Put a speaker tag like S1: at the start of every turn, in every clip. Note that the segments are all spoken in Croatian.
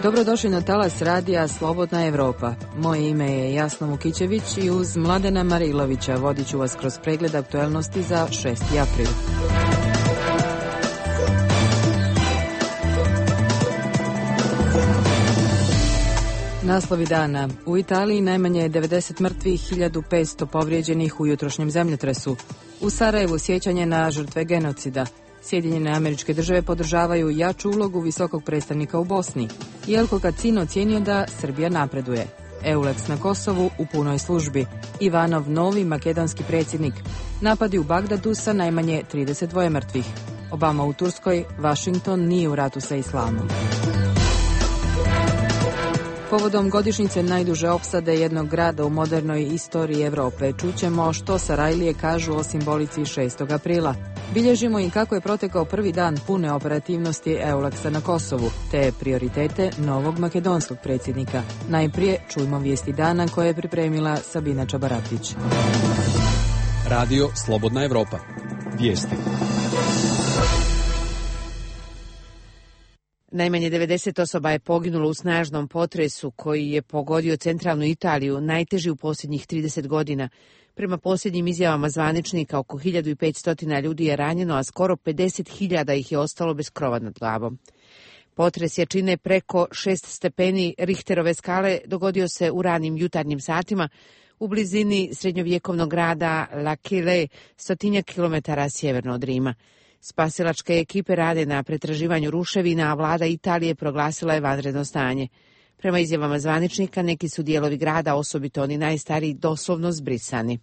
S1: Dobrodošli na talas radija Slobodna Evropa. Moje ime je Jasna Vukićević i uz Mladena Marilovića vodit ću vas kroz pregled aktuelnosti za 6. april. Naslovi dana. U Italiji najmanje je 90 mrtvih, 1500 povrijeđenih u jutrošnjem zemljotresu. U Sarajevu sjećanje na žrtve genocida. Sjedinjene Američke Države podržavaju jaču ulogu visokog predstavnika u Bosni. Jelko Kacin ocijenio da Srbija napreduje. EULEX na Kosovu u punoj službi. Ivanov novi makedonski predsjednik. Napadi u Bagdadu sa najmanje 32 mrtvih. Obama u Turskoj, Washington nije u ratu sa islamom. Povodom godišnjice najduže opsade jednog grada u modernoj istoriji Europe, čućemo što Sarajlije kažu o simbolici 6. aprila. Bilježimo i kako je protekao prvi dan pune operativnosti EULEX-a na Kosovu, te prioritete novog makedonskog predsjednika. Najprije čujmo vijesti dana koje je pripremila Sabina Čabaratić.
S2: Radio Slobodna Evropa. Vijesti.
S3: Najmanje 90 osoba je poginulo u snažnom potresu koji je pogodio centralnu Italiju, najteži u posljednjih 30 godina. Prema posljednjim izjavama zvaničnika, oko 1500 ljudi je ranjeno, a skoro 50.000 ih je ostalo bez krova nad glavom. Potres jačine preko 6 stepeni Richterove skale dogodio se u ranim jutarnjim satima u blizini srednjovjekovnog grada L'Aquile, 100 kilometara sjeverno od Rima. Spasilačke ekipe rade na pretraživanju ruševina, a vlada Italije proglasila je vanredno stanje. Prema izjavama zvaničnika, neki su dijelovi grada, osobito oni najstariji, doslovno zbrisani.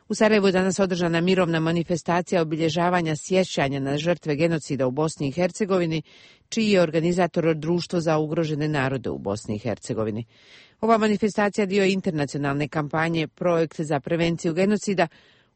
S3: U Sarajevu je danas održana mirovna manifestacija obilježavanja sjećanja na žrtve genocida u Bosni i Hercegovini, čiji je organizator Društvo za ugrožene narode u Bosni i Hercegovini. Ova manifestacija dio je internacionalne kampanje Projekt za prevenciju genocida,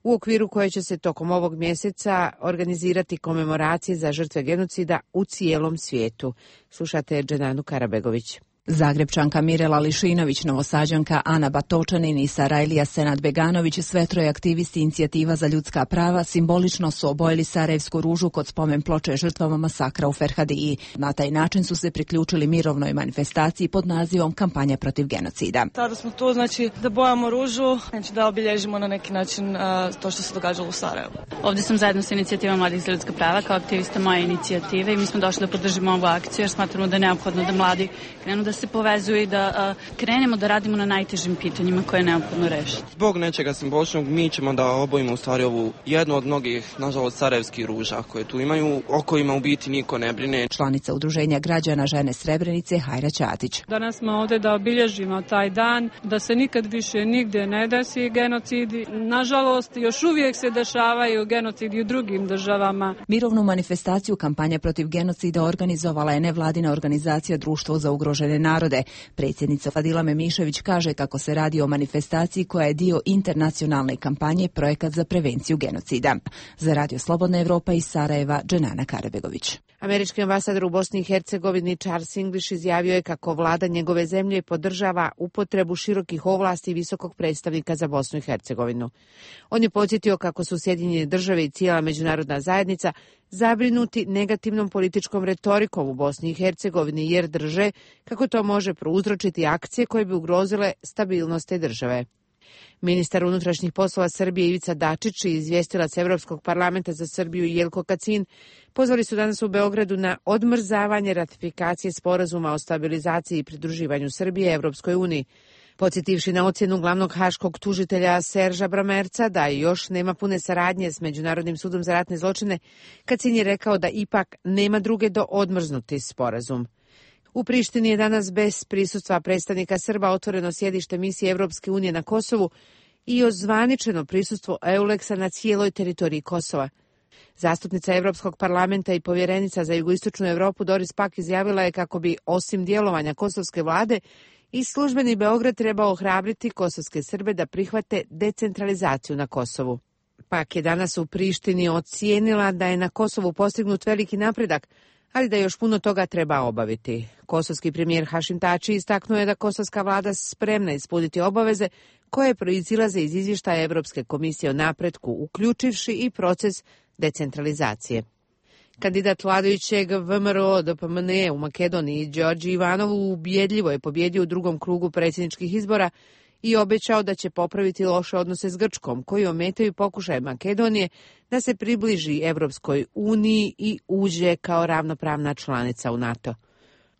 S3: u okviru koje će se tokom ovog mjeseca organizirati komemoracije za žrtve genocida u cijelom svijetu. Slušate Dženanu Karabegović.
S4: Zagrebčanka Mirela Lišinović, Novosađanka Ana Batočanin i Sarajlija Senad Beganović, sve troje aktivisti Inicijativa za ljudska prava, simbolično su obojili sarajevsku ružu kod spomen ploče žrtvama masakra u Ferhadiji. Na taj način su se priključili mirovnoj manifestaciji pod nazivom Kampanja protiv genocida.
S5: Sada smo tu, da bojamo ružu, da obilježimo na neki način to što se događalo u Sarajevu.
S6: Ovdje sam zajedno sa Inicijativom mladih za ljudska prava kao aktivista moje inicijative i mi smo došli da podržimo ovu akciju jer smatramo da je neophodno da mladi krenu da se povezuju i da krenemo da radimo na najtežim pitanjima koje je neophodno rešiti.
S7: Zbog nečega simboličnog mi ćemo da obojimo u stvari ovu jednu od mnogih, nažalost, sarajevskih ruža koje tu imaju, o kojima u biti niko ne brine.
S4: Članica Udruženja građana Žene Srebrenice Hajra Ćatić.
S8: Danas smo ovdje da obilježimo taj dan, da se nikad više nigdje ne desi genocidi. Nažalost, još uvijek se dešavaju genocidi u drugim državama.
S4: Mirovnu manifestaciju Kampanja protiv genocida organizovala je nevladina organizacija Društvo za ugrožene narode. Predsjednica Fadila Memišević kaže kako se radi o manifestaciji koja je dio internacionalne kampanje Projekat za prevenciju genocida. Za Radio Slobodna Evropa iz Sarajeva, Dženana Karabegović.
S3: Američki ambasador u Bosni i Hercegovini Charles English izjavio je kako vlada njegove zemlje podržava upotrebu širokih ovlasti visokog predstavnika za Bosnu i Hercegovinu. On je podsjetio kako su Sjedinjene Države i cijela međunarodna zajednica zabrinuti negativnom političkom retorikom u Bosni i Hercegovini jer drže kako to može prouzročiti akcije koje bi ugrozile stabilnost te države. Ministar unutrašnjih poslova Srbije Ivica Dačić i izvjestilac Evropskog parlamenta za Srbiju Jelko Kacin pozvali su danas u Beogradu na odmrzavanje ratifikacije sporazuma o stabilizaciji i pridruživanju Srbije Evropskoj uniji. Podsjetivši na ocjenu glavnog haškog tužitelja Serža Bramerca da još nema pune saradnje s Međunarodnim sudom za ratne zločine, Kacin je rekao da ipak nema druge do odmrznuti sporazum. U Prištini je danas bez prisustva predstavnika Srba otvoreno sjedište misije Evropske unije na Kosovu i ozvaničeno prisustvo EULEX-a na cijeloj teritoriji Kosova. Zastupnica Evropskog parlamenta i povjerenica za jugoistočnu Europu Doris Pack izjavila je kako bi, osim djelovanja kosovske vlade, i službeni Beograd trebao ohrabriti kosovske Srbe da prihvate decentralizaciju na Kosovu. Pak je danas u Prištini ocijenila da je na Kosovu postignut veliki napredak, ali da još puno toga treba obaviti. Kosovski premijer Hašim Tači istaknuo je da kosovska vlada spremna ispuniti obaveze koje proizilaze iz izvještaja Evropske komisije o napretku, uključivši i proces decentralizacije. Kandidat vladajućeg VMRO-DPMNE u Makedoniji, Đorđe Ivanov, ubjedljivo je pobjedio u drugom krugu predsjedničkih izbora i obećao da će popraviti loše odnose s Grčkom, koji ometaju pokušaje Makedonije da se približi Evropskoj uniji i uđe kao ravnopravna članica u NATO.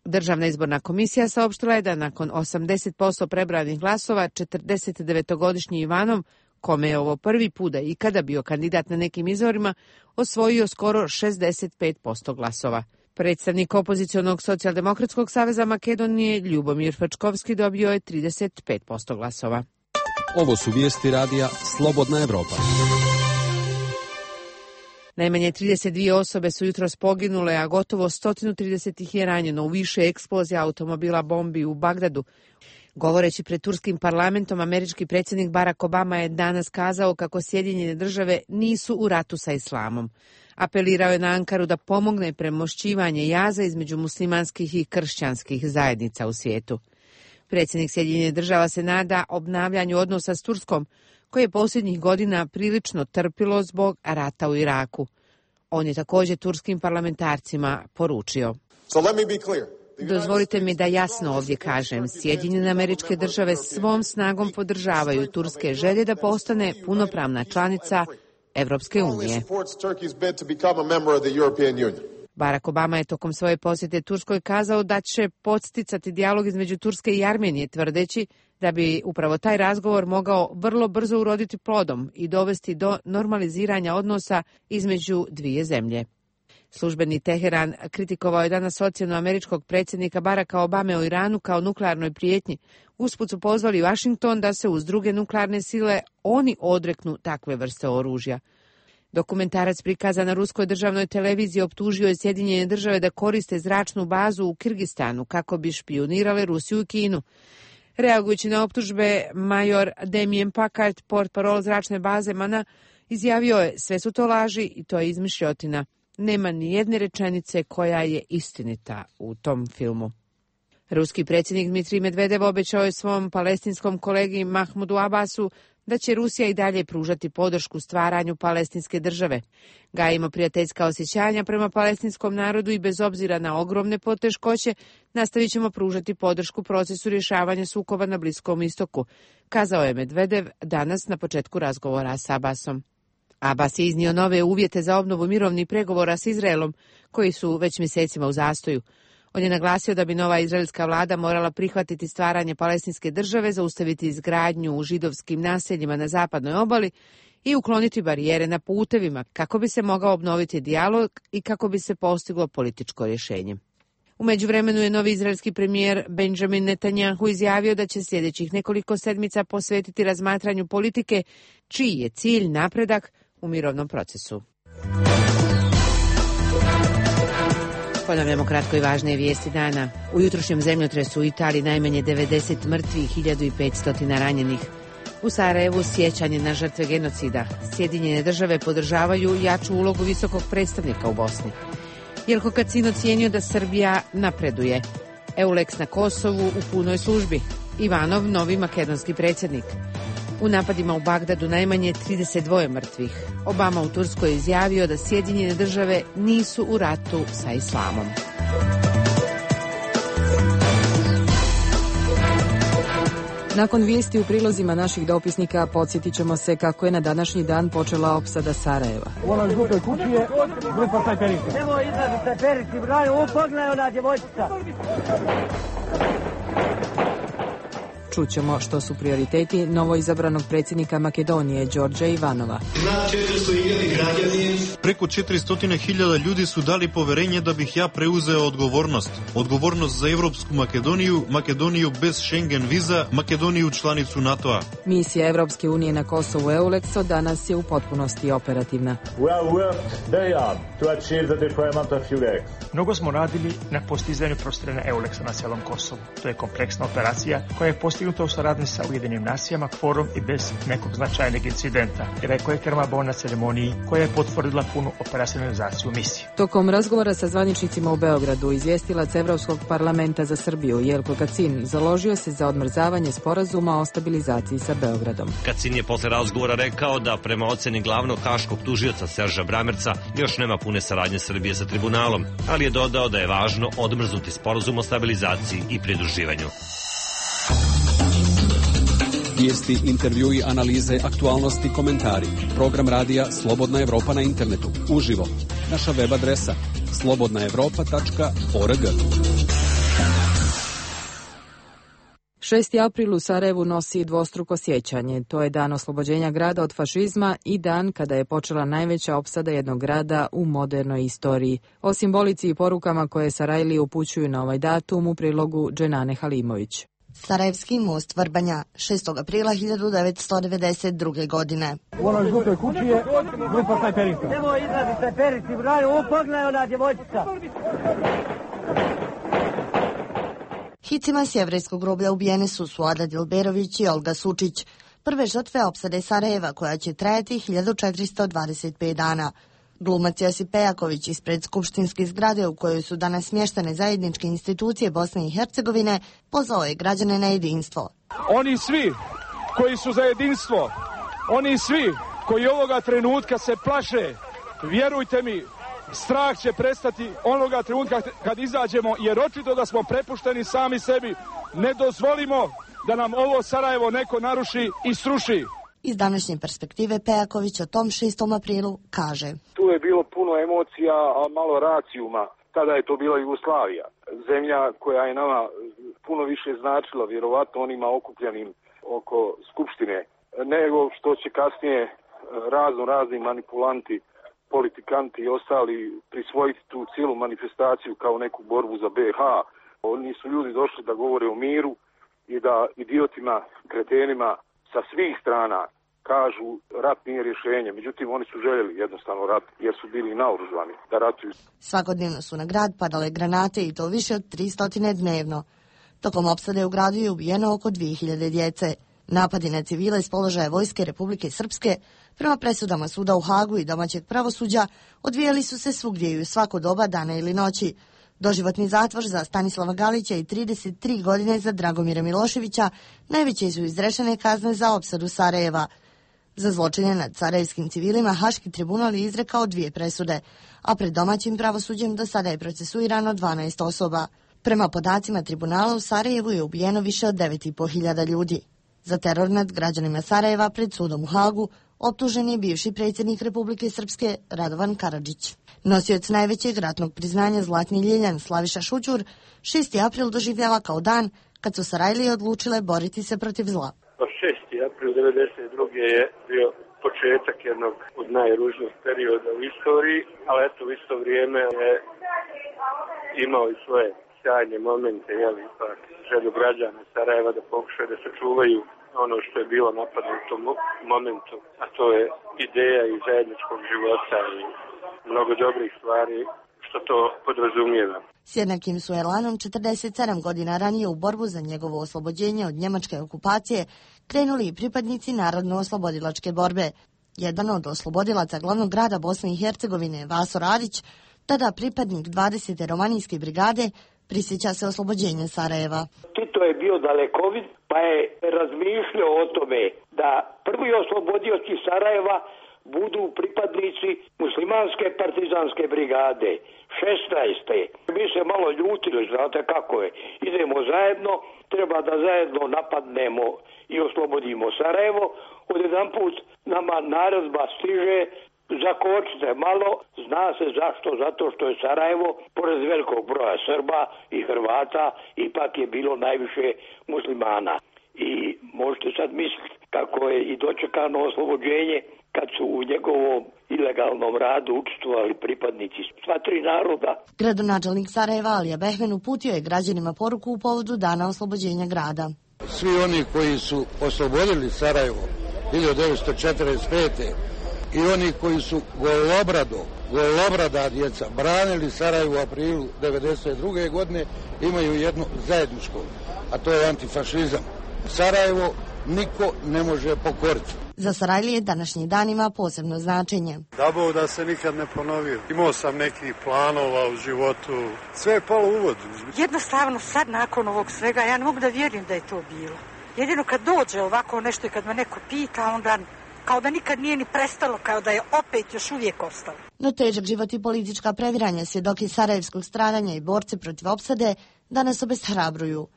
S3: Državna izborna komisija saopštila je da nakon 80% prebranih glasova 49-godišnji Ivanov, kome je ovo prvi put da ikada bio kandidat na nekim izborima, osvojio skoro 65% glasova. Predstavnik opozicionog socijaldemokratskog saveza Makedonije Ljubomir Fačkovski dobio je 35% glasova.
S2: Ovo su vijesti radija Slobodna Evropa.
S3: Najmanje 32 osobe su jutros poginule, a gotovo 130 ih je ranjeno u više eksplozija automobila bombi u Bagdadu. Govoreći pred turskim parlamentom, američki predsjednik Barack Obama je danas kazao kako Sjedinjene države nisu u ratu sa islamom. Apelirao je na Ankaru da pomogne premošćivanje jaza između muslimanskih i kršćanskih zajednica u svijetu. Predsjednik Sjedinjenih država se nada obnavljanju odnosa s Turskom, koje je posljednjih godina prilično trpilo zbog rata u Iraku. On je također turskim parlamentarcima poručio. Dozvolite mi da jasno ovdje kažem, Sjedinjene Američke Države svom snagom podržavaju turske želje da postane punopravna članica Evropske unije. Barack Obama je tokom svoje posjete Turskoj kazao da će podsticati dijalog između Turske i Armenije, tvrdeći da bi upravo taj razgovor mogao vrlo brzo uroditi plodom i dovesti do normaliziranja odnosa između dvije zemlje. Službeni Teheran kritikovao je danas ocjenu američkog predsjednika Baracka Obame o Iranu kao nuklearnoj prijetnji. Usput su pozvali Washington da se uz druge nuklearne sile oni odreknu takve vrste oružja. Dokumentarac prikazan na ruskoj državnoj televiziji optužio je Sjedinjene države da koriste zračnu bazu u Kirgistanu kako bi špijunirale Rusiju i Kinu. Reagujući na optužbe, major Damien Packard, portparol zračne baze Mana, izjavio je: sve su to laži i to je izmišljotina. Nema ni jedne rečenice koja je istinita u tom filmu. Ruski predsjednik Dmitrij Medvedev obećao je svom palestinskom kolegi Mahmudu Abbasu da će Rusija i dalje pružati podršku stvaranju palestinske države. Gajimo prijateljska osjećanja prema palestinskom narodu i bez obzira na ogromne poteškoće nastavit ćemo pružati podršku procesu rješavanja sukoba na Bliskom istoku, kazao je Medvedev danas na početku razgovora s Abbasom. Abbas je iznio nove uvjete za obnovu mirovnih pregovora s Izraelom, koji su već mjesecima u zastoju. On je naglasio da bi nova izraelska vlada morala prihvatiti stvaranje palestinske države, zaustaviti izgradnju u židovskim naseljima na zapadnoj obali i ukloniti barijere na putevima kako bi se mogao obnoviti dijalog i kako bi se postiglo političko rješenje. U međuvremenu je novi izraelski premijer Benjamin Netanyahu izjavio da će sljedećih nekoliko sedmica posvetiti razmatranju politike čiji je cilj napredak u mirovnom procesu. Ponavljamo kratko i važne vijesti dana. U jutrošnjem zemljotresu u Italiji najmanje 90 mrtvih, 1500 ranjenih. U Sarajevu sjećanje na žrtve genocida. Sjedinjene države podržavaju jaču ulogu visokog predstavnika u Bosni. Jelko Kacin ocijenio da Srbija napreduje. EULEX na Kosovu u punoj službi. Ivanov, novi makedonski predsjednik. U napadima u Bagdadu najmanje 32 mrtvih. Obama u Turskoj izjavio da Sjedinjene države nisu u ratu sa islamom.
S1: Nakon vijesti u prilozima naših dopisnika podsjetit ćemo se kako je na današnji dan počela opsada Sarajeva. Čućemo što su prioriteti novoizabranog predsjednika Makedonije Đorđa Ivanova.
S9: Preko 400.000 ljudi su dali poverenje da bih ja preuzeo odgovornost. Odgovornost za Evropsku Makedoniju, Makedoniju bez Schengen viza, Makedoniju članicu NATO-a.
S1: Misija Evropske unije na Kosovu EULEX od danas je u potpunosti operativna.
S10: Mnogo smo radili na postizanju prostorena EULEX-a na cijelom Kosovu. To je kompleksna operacija koja je postigla postignuto u saradnji sa Ujedinim nacijama, kvorum i bez nekog značajnog incidenta, rekao je Kerma Bon na ceremoniji koja je potvrdila punu operacionalizaciju misije.
S1: Tokom razgovora sa zvaničnicima u Beogradu, izvjestilac Evropskog parlamenta za Srbiju Jelko Kacin založio se za odmrzavanje sporazuma o stabilizaciji sa Beogradom.
S11: Kacin je posle razgovora rekao da prema oceni glavnog haškog tužioca Serža Bramerca još nema pune saradnje Srbije sa tribunalom, ali je dodao da je važno odmrznuti sporazum o stabilizaciji i pridruživanju.
S2: Vijesti, intervjui, analize, aktualnosti, komentari. Program radija Slobodna Evropa na internetu. Uživo. Naša web adresa slobodnaevropa.org.
S1: 6. april u Sarajevu nosi dvostruko sjećanje. To je dan oslobođenja grada od fašizma i dan kada je počela najveća opsada jednog grada u modernoj istoriji. O simbolici i porukama koje Sarajlije upućuju na ovaj datum u prilogu Dženane Halimović.
S12: Sarajevski most Vrbanja, 6. aprila 1992. godine.
S13: U onoj žutoj kući je grupa snajperista. Evo izlazi snajperisti, brani, ovo pogledaj ona djevojčica.
S12: Hicima s jevrejskog groblja ubijene su Suada Dilberović i Olga Sučić, prve žrtve opsade Sarajeva koja će trajati 1425 dana. Glumac Josip Pejaković ispred skupštinske zgrade u kojoj su danas smještene zajedničke institucije Bosne i Hercegovine pozvao je građane na jedinstvo.
S13: Oni svi koji su za jedinstvo, oni svi koji ovoga trenutka se plaše, vjerujte mi, strah će prestati onoga trenutka kad izađemo, jer očito da smo prepušteni sami sebi. Ne dozvolimo da nam ovo Sarajevo neko naruši i sruši.
S12: Iz današnje perspektive Pejaković o tom 6. aprilu kaže:
S14: Tu je bilo puno emocija, a malo racijuma. Tada je to bila Jugoslavija. Zemlja koja je nama puno više značila, vjerovatno onima okupljenim oko Skupštine, nego što će kasnije razni manipulanti, politikanti i ostali prisvojiti tu cijelu manifestaciju kao neku borbu za BiH. Oni su ljudi došli da govore o miru i da idiotima, kretenima sa svih strana kažu rat nije rješenje. Međutim, oni su željeli jednostavno rat jer su bili naoružani da ratuju.
S12: Svakodnevno su na grad padale granate i to više od 300 dnevno. Tokom opsade u gradu je ubijeno oko 2000 djece. Napadi na civile iz položaja Vojske Republike Srpske prema presudama suda u Hagu i domaćeg pravosuđa odvijali su se svugdje i u svako doba dana ili noći. Doživotni zatvor za Stanislava Galića i 33 godine za Dragomira Miloševića najveće su izrečene kazne za opsadu Sarajeva. Za zločine nad sarajevskim civilima Haški tribunal je izrekao 2 presude, a pred domaćim pravosuđem do sada je procesuirano 12 osoba. Prema podacima tribunala u Sarajevu je ubijeno više od 9.500 ljudi. Za teror nad građanima Sarajeva pred sudom u Hagu optužen je bivši predsjednik Republike Srpske Radovan Karadžić. Nosioc najvećeg ratnog priznanja Zlatni Ljiljan Slaviša Šućur 6. april doživljava kao dan kad su Sarajlije odlučile boriti se protiv zla.
S15: 6. april 1992. je bio početak jednog od najružnijih perioda u istoriji, ali eto u isto vrijeme je imao i svoje sjajne momente, ipak želju građana Sarajeva da pokušaju da sačuvaju ono što je bilo napadno u tom momentu, a to je ideja i zajedničkog života i mnogo dobrih stvari što to podrazumijeva.
S12: S jednakim su elanom 47 godina ranije u borbu za njegovo oslobođenje od njemačke okupacije krenuli i pripadnici Narodno-oslobodilačke borbe. Jedan od oslobodilaca glavnog grada Bosne i Hercegovine, Vaso Radić, tada pripadnik 20. romanijske brigade, prisjeća se oslobođenja Sarajeva.
S16: Tito je bio dalekovid, pa je razmišljao o tome da prvi oslobodioci Sarajeva budu pripadnici muslimanske partizanske brigade, 16. Mi se malo ljutili, znate kako je. Idemo zajedno, treba da zajedno napadnemo i oslobodimo Sarajevo. Odjedanput nama naredba stiže, zakočite malo, zna se zašto, zato što je Sarajevo, pored velikog broja Srba i Hrvata, ipak je bilo najviše muslimana. I možete sad misliti kako je i dočekano oslobođenje kad su u njegovom ilegalnom radu učestvovali pripadnici sva 3 naroda.
S12: Gradonačelnik Sarajeva Alija Behmen uputio je građanima poruku u povodu dana oslobođenja grada.
S17: Svi oni koji su oslobodili Sarajevo 1945. i oni koji su golobrada djeca branili Sarajevo u aprilu 1992. godine imaju jedno zajedničko, a to je antifašizam. Sarajevo niko ne može pokoriti.
S12: Za Sarajlije današnji dan ima posebno značenje.
S18: Da Bog da se nikad ne ponovio. Imao sam nekih planova u životu. Sve je palo u vodu.
S19: Jednostavno sad nakon ovog svega ja ne mogu da vjerujem da je to bilo. Jedino kad dođe ovako nešto i kad me neko pita, onda kao da nikad nije ni prestalo, kao da je opet još uvijek ostalo.
S12: No težak život i politička previranja, svjedoki sarajevskog stradanja i borci protiv opsade danas obeshrabruju.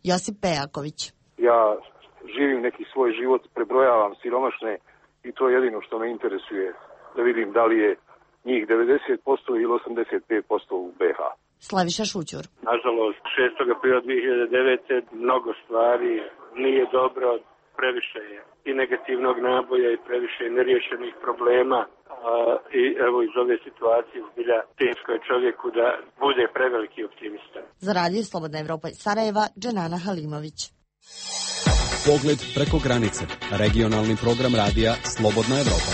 S12: Josip Pejaković.
S14: Ja živim neki svoj život, prebrojavam siromašne i to je jedino što me interesuje, da vidim da li je njih 90% ili 85% u BH.
S12: Slaviša Šućur.
S15: Nažalost, 6. aprila 2009. mnogo stvari nije dobro, previše je i negativnog naboja i previše neriješenih problema. I evo iz ove situacije zbilja teško je čovjeku da bude preveliki optimista.
S12: Za radio Slobodna Evropa iz Sarajeva, Dženana Halimović.
S2: Pogled preko granice. Regionalni program radija Slobodna Evropa.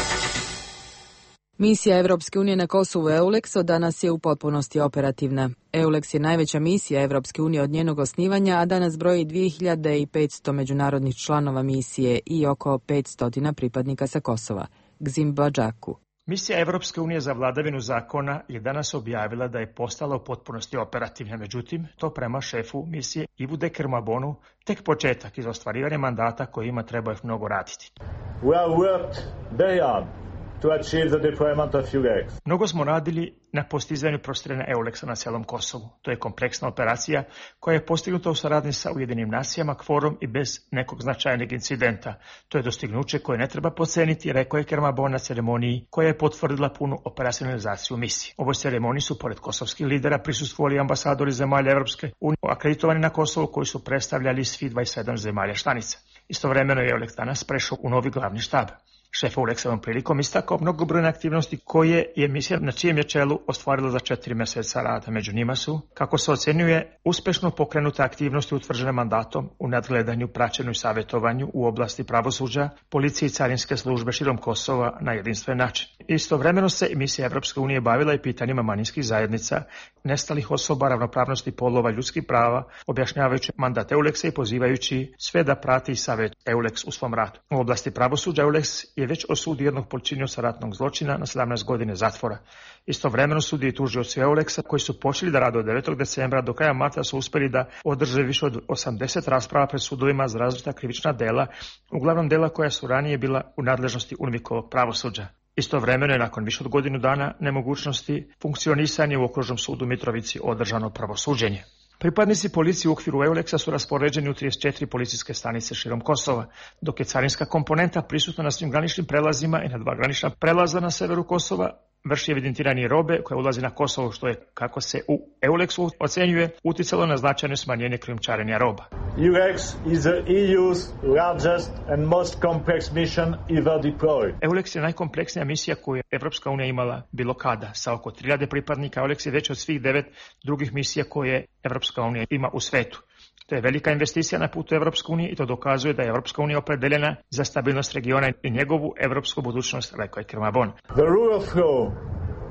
S1: Misija Evropske unije na Kosovu EULEX od danas je u potpunosti operativna. EULEX je najveća misija Evropske unije od njenog osnivanja, a danas broji 2500 međunarodnih članova misije i oko 500 pripadnika sa Kosova. Gzim Badžaku.
S10: Misija Evropske unije za vladavinu zakona je danas objavila da je postala u potpunosti operativna. Međutim, to prema šefu misije Ivu Dekermabonu tek početak iz ostvarivanja mandata kojima treba još mnogo raditi.
S20: We have worked very hard to achieve the deployment of EULEX.
S10: Mnogo smo radili na postizanju prostiranja EULEX-a na cijelom Kosovu. To je kompleksna operacija koja je postignuta u saradnji sa Ujedinim nacijama, kvorom i bez nekog značajnog incidenta. To je dostignuće koje ne treba podceniti, rekao je Kermabon na ceremoniji koja je potvrdila punu operacionalizaciju misije. Ovoj ceremoniji su pored kosovskih lidera prisustvovali ambasadori zemalja Evropske unije akreditovani na Kosovu koji su predstavljali svi 27 zemalja članica. Istovremeno je EULEX danas prešao u novi glavni štab. Šef EULEX ovom prilikom istakao mnogobrojne aktivnosti koje je misija na čijem je čelu ostvarila za 4 mjeseca rada. Među njima su, kako se ocenjuje, uspešno pokrenute aktivnosti utvrđene mandatom u nadgledanju, praćenju i savjetovanju u oblasti pravosuđa, policije i carinske službe širom Kosova na jedinstven način. Istovremeno se misija Evropske unije bavila i pitanjima manjinskih zajednica, nestalih osoba, ravnopravnosti polova, ljudskih prava, objašnjavajući mandat EULEX-a i pozivajući sve da prati i savjet EULEX u svom radu. U oblasti pravosuđa EULEX je već osudio jednog počinioca ratnog zločina na 17 godine zatvora. Istovremeno sudi i tužioci EULEX-a koji su počeli da rade od 9. decembra do kraja marta su uspjeli da održe više od 80 rasprava pred sudovima za različita krivična dela, uglavnom dela koja su ranije bila u nadležnosti UNMIK-ovog pravosuđa. Istovremeno je nakon više od godinu dana nemogućnosti funkcionisanja u okružnom sudu Mitrovici održano pravosuđenje. Pripadnici policije u okviru EULEX-a su raspoređeni u 34 policijske stanice širom Kosova, dok je carinska komponenta prisutna na svim graničnim prelazima i na 2 granična prelaza na severu Kosova, vrši evidentiranje robe koja ulazi na Kosovo, što je, kako se u EULEX-u ocenjuje, uticalo na značajno smanjenje krijumčarenja roba.
S20: EULEX is the EU's largest and most complex mission ever deployed.
S10: EULEX je najkompleksnija misija koju je Evropska unija imala bilo kada. Sa oko 3000 pripadnika EULEX je već od svih 9 drugih misija koje Evropska unija ima u svetu. To je velika investicija na putu Evropske unije i to dokazuje da je Evropska unija opredeljena za stabilnost regiona i njegovu evropsku budućnost, rekao je Kermabon.
S20: The rule of law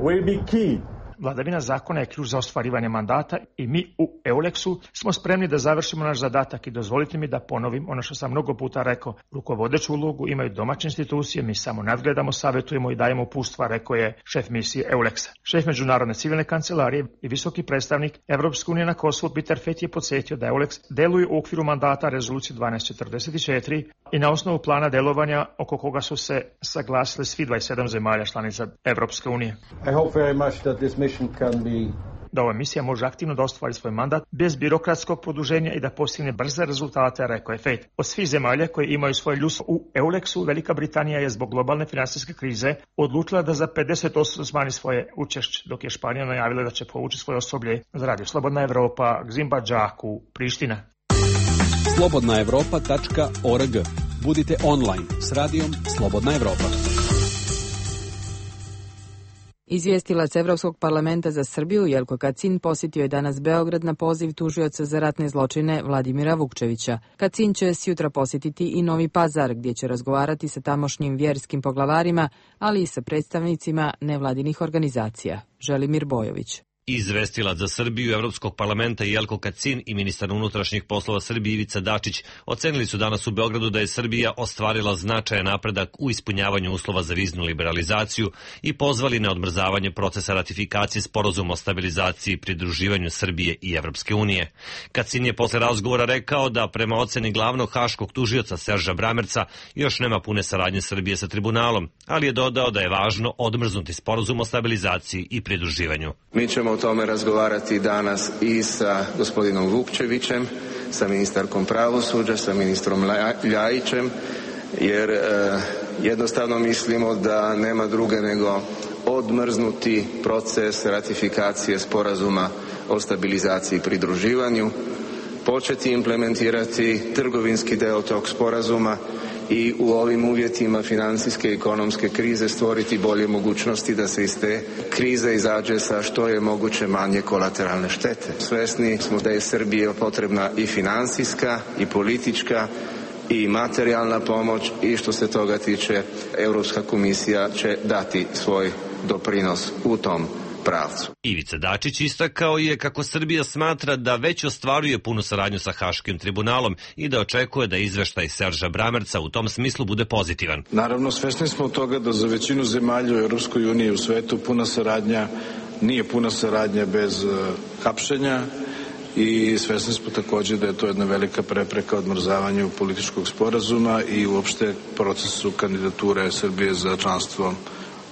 S20: will be key.
S10: Vladavina zakona je ključ za ostvarivanje mandata i mi u EULEX-u smo spremni da završimo naš zadatak i dozvolite mi da ponovim ono što sam mnogo puta rekao. Rukovodeću ulogu imaju domaće institucije, mi samo nadgledamo, savjetujemo i dajemo uputstva, rekao je šef misije EULEX-a. Šef Međunarodne civilne kancelarije i visoki predstavnik Evropske unije na Kosovu Peter Fett je podsjetio da EULEX deluje u okviru mandata rezolucije 1244 i na osnovu plana delovanja oko koga su se saglasili svi 27 zemalja članica Evropske unije.
S20: I hope very much that this
S10: da ova misija može aktivno da ostvari svoj mandat bez birokratskog produženja i da postigne brze rezultate, rekao je Fett. Od svih zemalja koje imaju svoje ljudstvo u EULEX-u, Velika Britanija je zbog globalne finansijske krize odlučila da za 50% smanji svoje učešće, dok je Španija najavila da će povući svoje osoblje za radio Slobodna Evropa, Gzim Badžaku, Priština.
S2: slobodnaevropa.org. Budite online s radijom Slobodna Evropa.
S1: Izvjestilac Evropskog parlamenta za Srbiju Jelko Kacin posjetio je danas Beograd na poziv tužioca za ratne zločine Vladimira Vukčevića. Kacin će sjutra posjetiti i Novi Pazar, gdje će razgovarati sa tamošnjim vjerskim poglavarima, ali i sa predstavnicima nevladinih organizacija. Želimir Bojović.
S11: Izvestilac za Srbiju Evropskog parlamenta Jelko Kacin i ministar unutrašnjih poslova Srbije Ivica Dačić ocenili su danas u Beogradu da je Srbija ostvarila značajan napredak u ispunjavanju uslova za viznu liberalizaciju i pozvali na odmrzavanje procesa ratifikacije sporazuma o stabilizaciji i pridruživanju Srbije i Evropske unije. Kacin je posle razgovora rekao da prema oceni glavnog haškog tužioca Serža Bramerca još nema pune saradnje Srbije sa tribunalom, ali je dodao da je važno odmrznuti sporazum o stabilizaciji i pridruživanju.
S21: Mi ćemo o tome razgovarati danas i sa gospodinom Vukčevićem, sa ministarkom pravosuđa, sa ministrom Ljajićem, jer jednostavno mislimo da nema druge nego odmrznuti proces ratifikacije sporazuma o stabilizaciji i pridruživanju, početi implementirati trgovinski deo tog sporazuma i u ovim uvjetima financijske i ekonomske krize stvoriti bolje mogućnosti da se iz te krize izađe sa što je moguće manje kolateralne štete. Svesni smo da je Srbiji potrebna i financijska i politička i materijalna pomoć i što se toga tiče Europska komisija će dati svoj doprinos u tom pravcu.
S11: Ivica Dačić istakao je kako Srbija smatra da već ostvaruje punu saradnju sa Haškim tribunalom i da očekuje da izveštaj Serža Bramerca u tom smislu bude pozitivan.
S22: Naravno, svesni smo toga da za većinu zemalja u Europskoj uniji i u svetu puna saradnja nije puna saradnja bez hapšenja i svesni smo također da je to jedna velika prepreka odmrzavanju političkog sporazuma i uopšte procesu kandidature Srbije za članstvo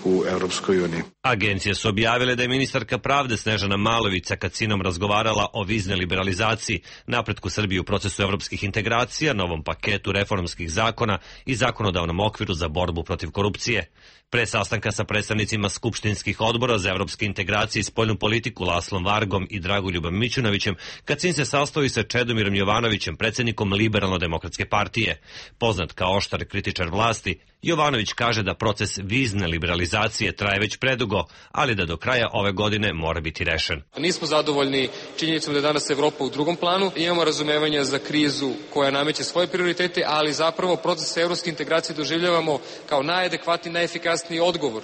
S22: u Europskoj uniji.
S11: Agencije su objavile da je ministarka pravde Snežana Malović sa Kacinom razgovarala o viznoj liberalizaciji, napretku Srbije u procesu evropskih integracija, novom paketu reformskih zakona i zakonodavnom okviru za borbu protiv korupcije. Pre sastanka sa predstavnicima skupštinskih odbora za evropske integracije i spoljnu politiku Laslom Vargom i Dragoljubom Mićunovićem, Kacin se sastao i sa Čedomirom Jovanovićem, predsjednikom Liberalno-demokratske partije. Poznat kao oštar kritičar vlasti, Jovanović kaže da proces vizne liberalizacije traje već predugo, ali da do kraja ove godine mora biti rešen.
S23: Nismo zadovoljni činjenicom da je danas Evropa u drugom planu. Imamo razumevanja za krizu koja nameće svoje prioritete, ali zapravo proces evropske integracije doživljavamo kao najadekvatniji, najefikasniji odgovor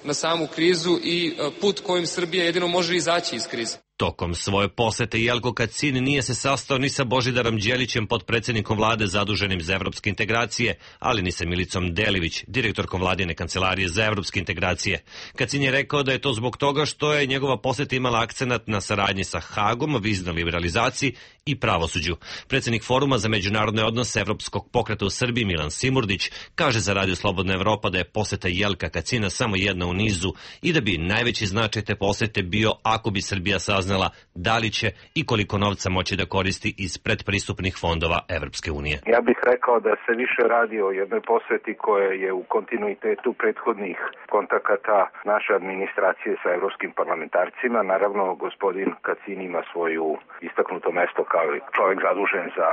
S23: na samu krizu i put kojim Srbija jedino može izaći iz krize.
S11: Tokom svoje posete Jelko Kacin nije se sastao ni sa Božidarom Đelićem, potpredsjednikom vlade zaduženim za evropske integracije, ali ni sa Milicom Delivić, direktorkom vladine kancelarije za evropske integracije. Kacin je rekao da je to zbog toga što je njegova poseta imala akcenat na saradnji sa Hagom, viznoj liberalizaciji i pravosuđu. Predsjednik Foruma za međunarodne odnose Evropskog pokreta u Srbiji Milan Simurdić kaže za Radio Slobodna Evropa da je poseta Jelka Kacina samo jedna u nizu i da bi najveći značaj te posete bio ako bi Srbija saznala da li će i koliko novca moći da koristi iz predpristupnih fondova Evropske unije.
S24: Ja bih rekao da se više radi o jednoj poseti koja je u kontinuitetu prethodnih kontakata naše administracije sa evropskim parlamentarcima. Naravno, gospodin Kacin ima svoju istaknuto mesto kao čovjek zadužen za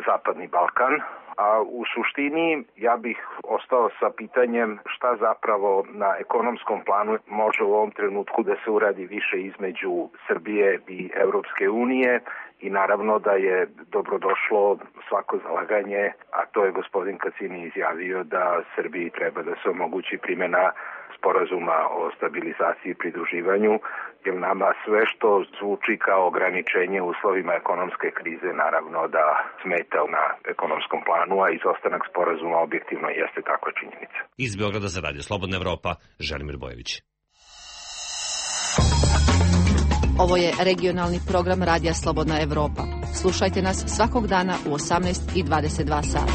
S24: Zapadni Balkan, a u suštini ja bih ostao sa pitanjem šta zapravo na ekonomskom planu može u ovom trenutku da se uradi više između Srbije i Evropske unije i naravno da je dobrodošlo svako zalaganje, a to je gospodin Kacin izjavio da Srbiji treba da se omogući primjena sporazuma o stabilizaciji i pridruživanju, jer nama sve što zvuči kao ograničenje u uslovima ekonomske krize naravno da smeta na ekonomskom planu, a izostanak sporazuma objektivno jeste takva činjenica.
S11: Iz Beograda za Radio Slobodna Evropa, Želimir Bojević.
S4: Ovo je regionalni program Radija Slobodna Evropa. Slušajte nas svakog dana u 18:22 sata.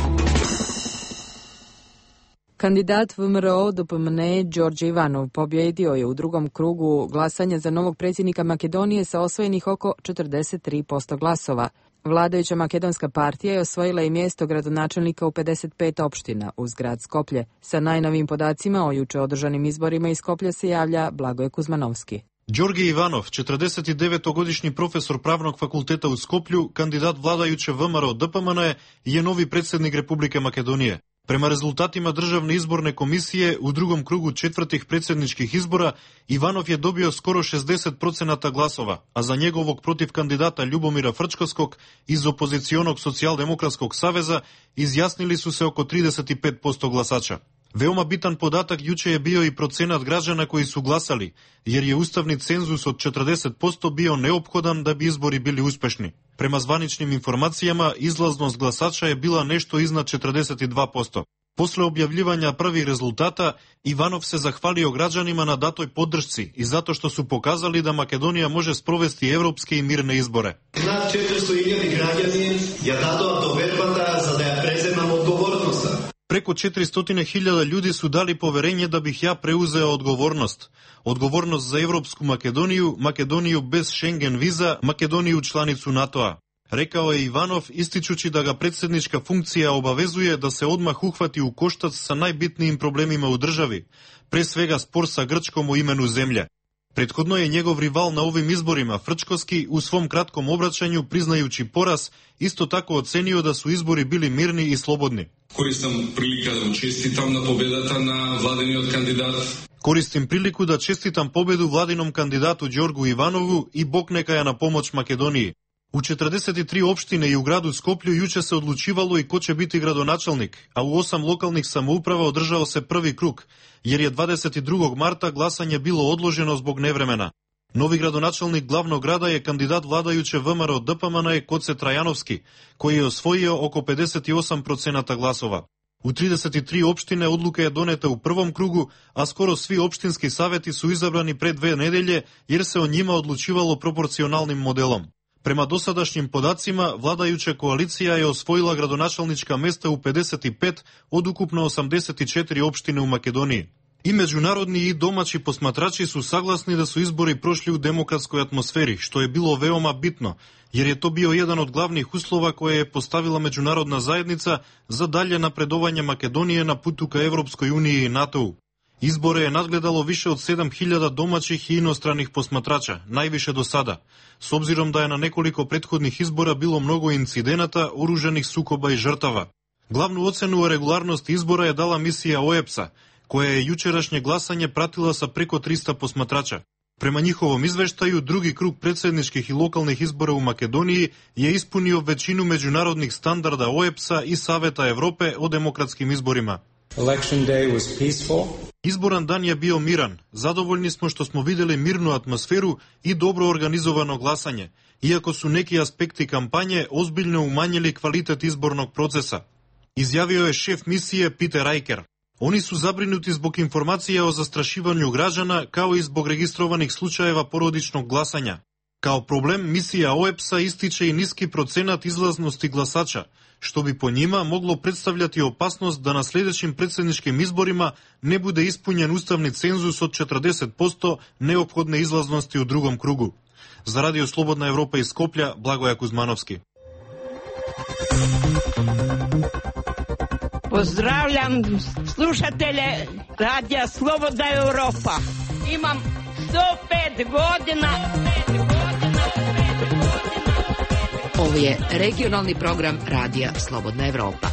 S1: Kandidat VMRO DPMNE Đorđe Ivanov pobjedio je u drugom krugu glasanja za novog predsjednika Makedonije sa osvojenih oko 43% glasova. Vladajuća makedonska partija je osvojila i mjesto gradonačelnika u 55 opština uz grad Skoplje. Sa najnovim podacima o juče održanim izborima iz Skoplja se javlja Blagoje Kuzmanovski.
S9: Đorđe Ivanov, 49-godišnji profesor pravnog fakulteta u Skoplju, kandidat vladajuće VMRO DPMNE, je novi predsjednik Republike Makedonije. Prema rezultatima Državne izborne komisije u drugom krugu četvrtih predsjedničkih izbora Ivanov je dobio skoro 60% glasova, a za njegovog protiv kandidata Ljubomira Frčkovskog iz opozicionog socijaldemokratskog saveza izjasnili su se oko 35% glasača. Veoma bitan podatak juče je bio i procenat građana koji su glasali, jer je ustavni cenzus od 40% bio neophodan da bi izbori bili uspešni. Prema zvaničnim informacijama, izlaznost glasača je bila nešto iznad 42%. Posle objavljivanja prvih rezultata, Ivanov se zahvalio građanima na datoj podršci i zato što su pokazali da Makedonija može sprovesti evropske i mirne izbore.
S5: Nад 400.000 građani ја дадоа довербата за да ја преземам одговорноста.
S9: Preko 400.000 ljudi su dali poverenje da bih ja preuzeo odgovornost. Odgovornost za Evropsku Makedoniju, Makedoniju bez Schengen viza, Makedoniju članicu NATO-a. Rekao je Ivanov, ističući da ga predsjednička funkcija obavezuje da se odmah uhvati u koštac sa najbitnijim problemima u državi, pre svega spor sa Grčkom o imenu zemlje. Prethodno je njegov rival na ovim izborima, Frčkovski, u svom kratkom obraćanju, priznajući poraz, isto tako ocenio da su izbori bili mirni i slobodni.
S6: Koristim prilika da čestitam na pobedata na vladiniот kandidat.
S9: Koristim priliku da čestitam pobedu vladinom kandidatu Đorgu Ivanovu i Bog neka je na pomoć Makedoniji. U 43 opštine i u gradu Skoplju juče se odlučivalo i ko će biti gradonačelnik, a u 8 lokalnih samouprava održao se prvi krug, jer je 22. marta glasanje bilo odloženo zbog nevremena. Novi gradonačelnik glavnog grada je kandidat vladajuće VMRO DPMNE Koce Trajanovski, koji je osvojio oko 58% glasova. U 33 opštine odluka je doneta u prvom krugu, a skoro svi opštinski saveti su izabrani pre 2 nedelje, jer se o njima odlučivalo proporcionalnim modelom. Prema dosadašnjim podacima, vladajuća koalicija je osvojila gradonačelnička mesta u 55 od ukupno 84 opštine u Makedoniji. I međunarodni i domaći posmatrači su saglasni da su izbori prošli u demokratskoj atmosferi, što je bilo veoma bitno, jer je to bio jedan od glavnih uslova koje je postavila međunarodna zajednica za dalje napredovanje Makedonije na putu ka Evropskoj uniji i NATO-u. Izbore je nadgledalo više od 7.000 domaćih i inostranih posmatrača, najviše do sada, s obzirom da je na nekoliko prethodnih izbora bilo mnogo incidenata, oružanih sukoba i žrtava. Glavnu ocenu o regularnosti izbora je dala misija OEBS-a, koja je jučerašnje glasanje pratila sa preko 300 posmatrača. Prema njihovom izveštaju, drugi krug predsjedničkih i lokalnih izbora u Makedoniji je ispunio većinu međunarodnih standarda OEBS-a i Saveta Evrope o demokratskim izborima.
S7: Election day was peaceful.
S9: Izboran dan je bio miran. Zadovoljni smo što smo videli mirnu atmosferu i dobro organizovano glasanje, iako su neki aspekti kampanje ozbiljno umanjili kvalitet izbornog procesa. Izjavio je šef misije Peter Riker. Oni su zabrinuti zbog informacija o zastrašivanju građana, kao i zbog registrovanih slučajeva porodičnog glasanja. Kao problem, misija OEBS-a ističe i niski procenat izlaznosti glasača, što bi po njima moglo predstavljati opasnost da na sljedećim predsjedničkim izborima ne bude ispunjen ustavni cenzus od 40% neophodne izlaznosti u drugom krugu. Za Radio Slobodna Evropa iz Skoplja, Blagoja Kuzmanovski.
S8: Pozdravljam slušatelje Radija Slobodna Evropa. Imam 105 godina.
S3: Ovo je regionalni program Radija Slobodna Evropa.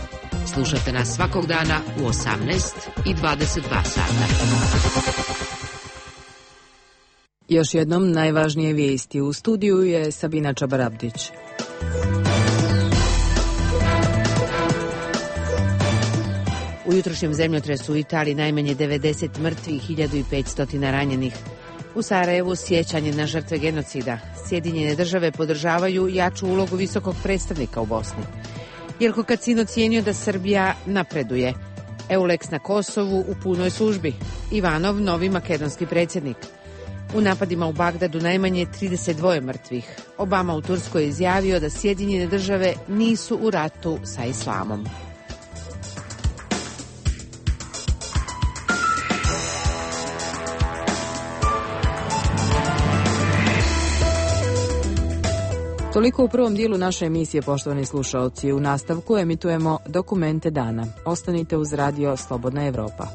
S3: Slušate nas svakog dana u 18 i 22 sata.
S1: Još jednom najvažnije vijesti u studiju je Sabina Čabarabdić.
S3: U jutrošnjem zemljotresu u Italiji najmanje 90 mrtvih, 1500 ranjenih. U Sarajevu sjećanje na žrtve genocida. Sjedinjene države podržavaju jaču ulogu visokog predstavnika u Bosni. Jelko Kacin ocijenio da Srbija napreduje. Eulex na Kosovu u punoj službi. Ivanov, novi makedonski predsjednik. U napadima u Bagdadu najmanje 32 mrtvih. Obama u Turskoj je izjavio da Sjedinjene države nisu u ratu sa islamom.
S1: Toliko u prvom dijelu naše emisije, poštovani slušalci. U nastavku emitujemo Dokumente dana. Ostanite uz Radio Slobodna Evropa.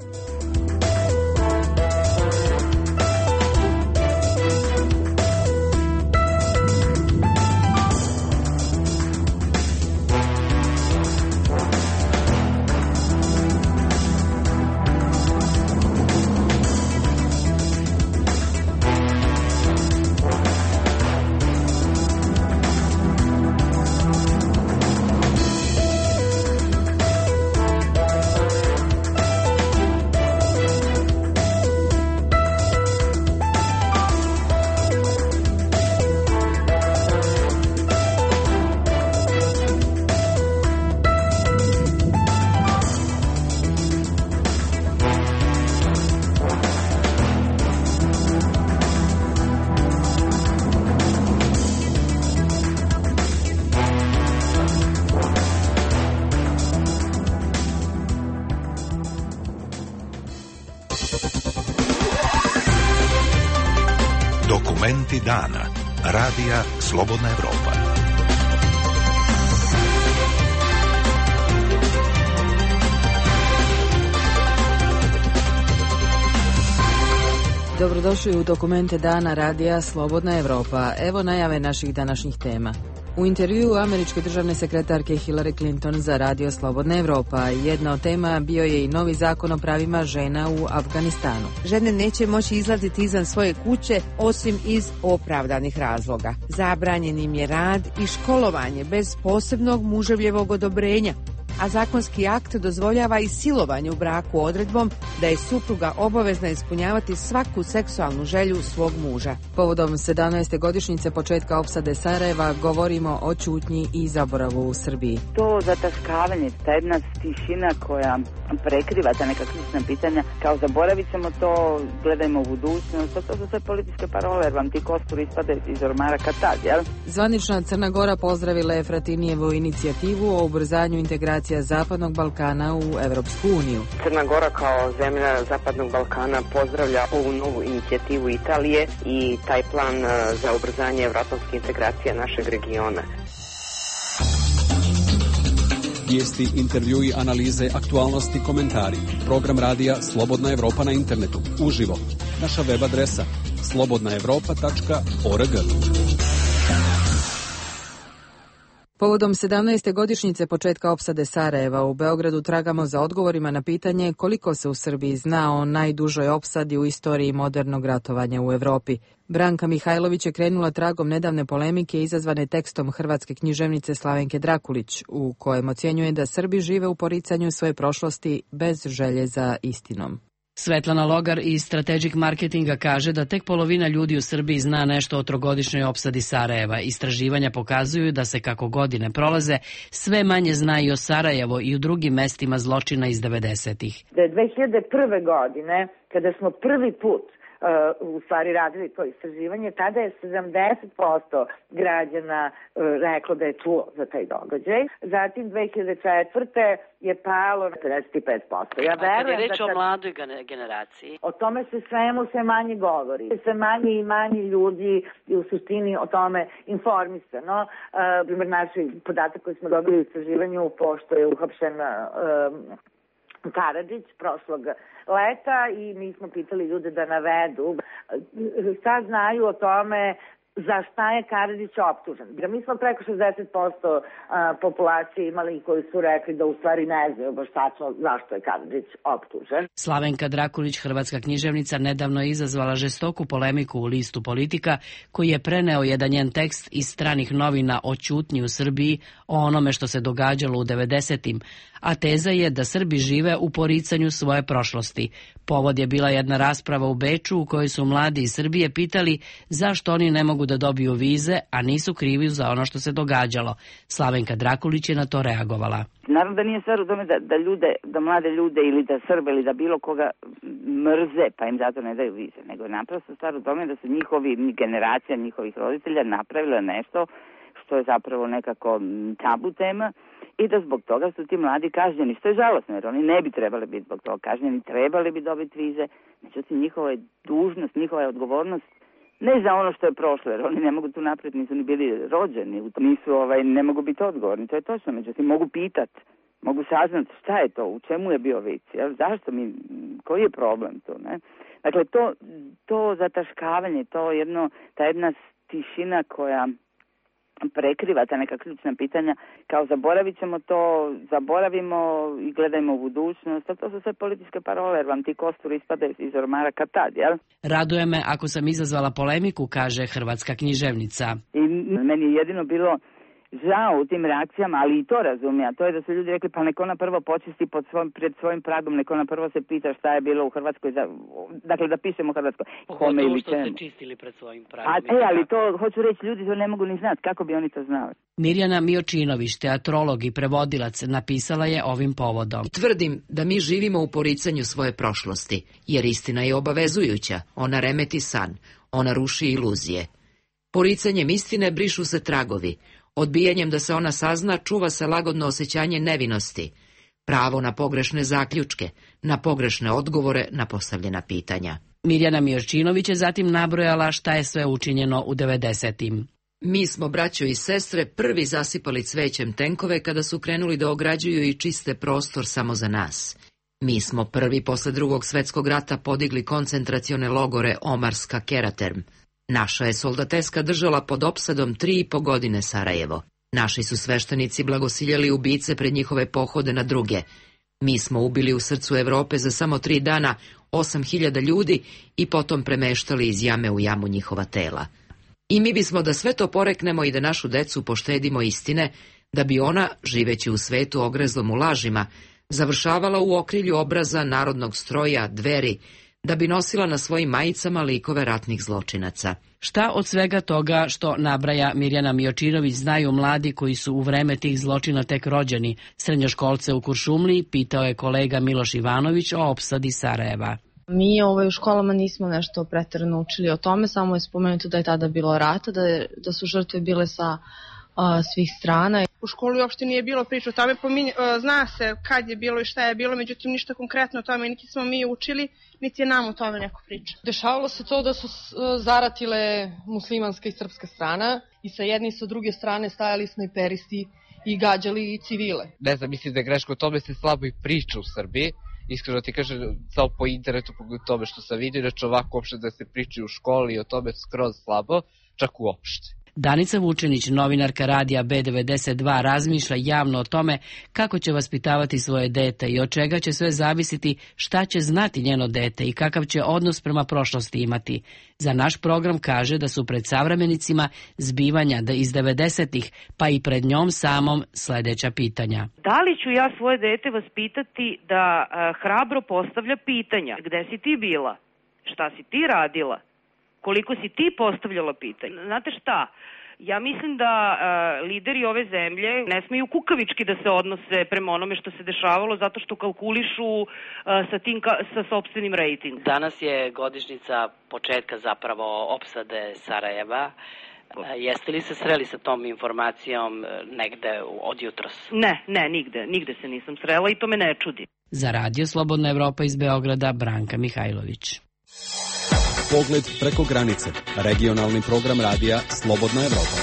S13: Dokumenti dana. Radija Slobodna Evropa.
S1: Dobrodošli u Dokumente dana Radija Slobodna Evropa. Evo najave naših današnjih tema. U intervjuu američke državne sekretarke Hillary Clinton za Radio Slobodna Evropa jedna od tema bio je i novi zakon o pravima žena u Afganistanu.
S3: Žene neće moći izlaziti izvan svoje kuće osim iz opravdanih razloga. Zabranjen im je rad i školovanje bez posebnog muževljevog odobrenja, a zakonski akt dozvoljava i silovanje u braku odredbom da je supruga obavezna ispunjavati svaku seksualnu želju svog muža.
S1: Povodom 17. godišnjice početka opsade Sarajeva govorimo o ćutnji i zaboravu u Srbiji.
S16: To zataškavanje, ta jedna tišina koja prekriva ta neka ključna pitanja, kao zaboravit ćemo to, gledajmo u budućnost, to su sve političke parole, jer vam ti kostur ispade iz ormara kad tad, jel?
S1: Zvanična Crna Gora pozdravila je Fratinijevu inicijativu o ubrzanju integracija Zapadnog Balkana u Evropsku uniju.
S17: Crna Gora kao zemlja Zapadnog Balkana pozdravlja ovu novu inicijativu Italije i taj plan za ubrzanje evroatlantske integracije našeg regiona.
S2: Vijesti, intervjui, analize, aktualnosti, komentari. Program radija Slobodna Evropa na internetu. Uživo. Naša web adresa slobodnaevropa.org. Povodom 17. godišnjice početka opsade Sarajeva u Beogradu tragamo za odgovorima na pitanje koliko se u Srbiji zna o najdužoj opsadi u istoriji modernog ratovanja u Evropi. Branka Mihajlović je krenula tragom nedavne polemike izazvane tekstom hrvatske književnice Slavenke Drakulić, u kojem ocjenjuje da Srbi žive u poricanju svoje prošlosti bez želje za istinom.
S18: Svetlana Logar iz Strategic Marketinga kaže da tek polovina ljudi u Srbiji zna nešto o trogodišnjoj opsadi Sarajeva. Istraživanja pokazuju da se kako godine prolaze, sve manje zna i o Sarajevo i u drugim mestima zločina iz 90-ih.
S25: Da je 2001. godine, kada smo prvi put u stvari radili to istraživanje, tada je 70% građana reklo da je čuo za taj događaj. Zatim 2004. je palo na 55%. Ja verujem,
S26: kad je reč o mladoj generaciji?
S25: O tome se sve manje govori. Sve manje i manje ljudi je u suštini o tome informisano. Primer, naš podatak koji smo dobili u istraživanju, pošto je uhapšen Karadžić prošlog leta i mi smo pitali ljude da navedu šta znaju o tome za šta je Karadžić optužen. Mi smo preko 60% populacije imali koji su rekli da u stvari ne znaju baš tačno zašto je Karadžić optužen.
S18: Slavenka Drakulić, hrvatska književnica, nedavno je izazvala žestoku polemiku u listu Politika, koji je preneo jedan njen tekst iz stranih novina o ćutnji u Srbiji, o onome što se događalo u 90-im, a teza je da Srbi žive u poricanju svoje prošlosti. Povod je bila jedna rasprava u Beču u kojoj su mladi iz Srbije pitali zašto oni ne mogu da dobiju vize, a nisu krivi za ono što se događalo. Slavenka Drakulić je na to reagovala.
S16: Naravno da nije stvar u tome da mlade ljude ili da Srbe ili da bilo koga mrze pa im zato ne daju vize, nego je naprosto stvar u tome da su generacija njihovih roditelja napravila nešto što je zapravo nekako tabu tema i da zbog toga su ti mladi kažnjeni, što je žalosno, jer oni ne bi trebali biti zbog toga kažnjeni, trebali bi dobiti vize, međutim njihova je dužnost, njihova je odgovornost ne za ono što je prošlo, jer oni ne mogu tu naprijed, nisu ni bili rođeni, ne mogu biti odgovorni, to je točno, međutim mogu pitati, mogu saznati šta je to, u čemu je bio vic, zašto koji je problem to, ne? Dakle, to zataškavanje, ta jedna tišina koja prekriva ta neka ključna pitanja, kao zaboravit ćemo to, zaboravimo i gledajmo u budućnost, to su sve političke parole, jer vam ti kostur ispade iz ormara kad tad, jel?
S18: Raduje me ako sam izazvala polemiku, kaže hrvatska književnica.
S16: I meni je jedino bilo žao u tim reakcijama, ali i to razumije, a to je da su ljudi rekli pa neko ona prvo počisti pred svojim pragom, neko ona prvo se pita šta je bilo u Hrvatskoj, dakle da pišemo Hrvatskoj.
S26: Pogotovo što ste čistili pred svojim pragom.
S16: Ali to, hoću reći, ljudi to ne mogu ni znati, kako bi oni to znali.
S18: Mirjana Miočinović, teatrolog i prevodilac, napisala je ovim povodom.
S27: Tvrdim da mi živimo u poricanju svoje prošlosti, jer istina je obavezujuća, ona remeti san, ona ruši iluzije. Poricanjem istine brišu se tragovi. Odbijanjem da se ona sazna, čuva se lagodno osjećanje nevinosti. pravo na pogrešne zaključke, na pogrešne odgovore na postavljena pitanja.
S18: Mirjana Mijorčinović je zatim nabrojala šta je sve učinjeno u 90-im.
S27: Mi smo, braćo i sestre, prvi zasipali cvećem tenkove kada su krenuli da ograđuju i čiste prostor samo za nas. Mi smo prvi posle Drugog svjetskog rata podigli koncentracione logore Omarska Keraterm. Naša je soldateska držala pod opsadom 3,5 godine Sarajevo. Naši su sveštenici blagosiljali ubice pred njihove pohode na druge. Mi smo ubili u srcu Evrope za samo 3 dana 8.000 ljudi i potom premeštali iz jame u jamu njihova tela. I mi bismo da sve to poreknemo i da našu decu poštedimo istine, da bi ona, živeći u svetu ogrezlom u lažima, završavala u okrilju obraza narodnog stroja, Dveri, da bi nosila na svojim majicama likove ratnih zločinaca.
S18: Šta od svega toga što nabraja Mirjana Mijorčinović znaju mladi koji su u vreme tih zločina tek rođeni? Srednjoškolce u Kuršumliji pitao je kolega Miloš Ivanović o opsadi Sarajeva.
S10: Mi u školama nismo nešto preterano učili o tome, samo je spomenuto da je tada bilo rata, da su žrtve bile sa svih strana.
S12: U školi uopšte nije bilo priča o tome, zna se kad je bilo i šta je bilo, međutim ništa konkretno o tome niti smo mi učili, niti je nam o tome neko priča.
S14: Dešavalo se to da su zaratile muslimanska i srpska strana i sa jedne i sa druge strane stajali snajperisti i gađali civile.
S15: Ne znam, mislim da je greško, o tome se slabo i priča u Srbiji. Iskreno ti kažem, samo po internetu, po tome što sam vidio, znači ovako uopšte da se priči u školi o tome skroz slabo, čak uopšte.
S18: Danica Vučenić, novinarka radija B92, razmišlja javno o tome kako će vaspitavati svoje dete i od čega će sve zavisiti šta će znati njeno dete i kakav će odnos prema prošlosti imati. Za naš program kaže da su pred savremenicima zbivanja da iz 90-ih, pa i pred njom samom sljedeća pitanja.
S19: Da li ću ja svoje dete vaspitati da hrabro postavlja pitanja? Gde si ti bila? Šta si ti radila? Koliko si ti postavljala pitanje? Znate šta? Ja mislim da lideri ove zemlje ne smeju kukavički da se odnose prema onome što se dešavalo zato što kalkulišu sa sopstvenim rejtingom.
S26: Danas je godišnjica početka zapravo opsade Sarajeva. Jeste li se sreli sa tom informacijom negde od jutros?
S19: Ne, nigde se nisam srela i to me ne čudi.
S18: Za Radio Slobodna Evropa iz Beograda, Branka Mihajlović.
S20: Pogled preko granice. Regionalni program radija Slobodna Evropa.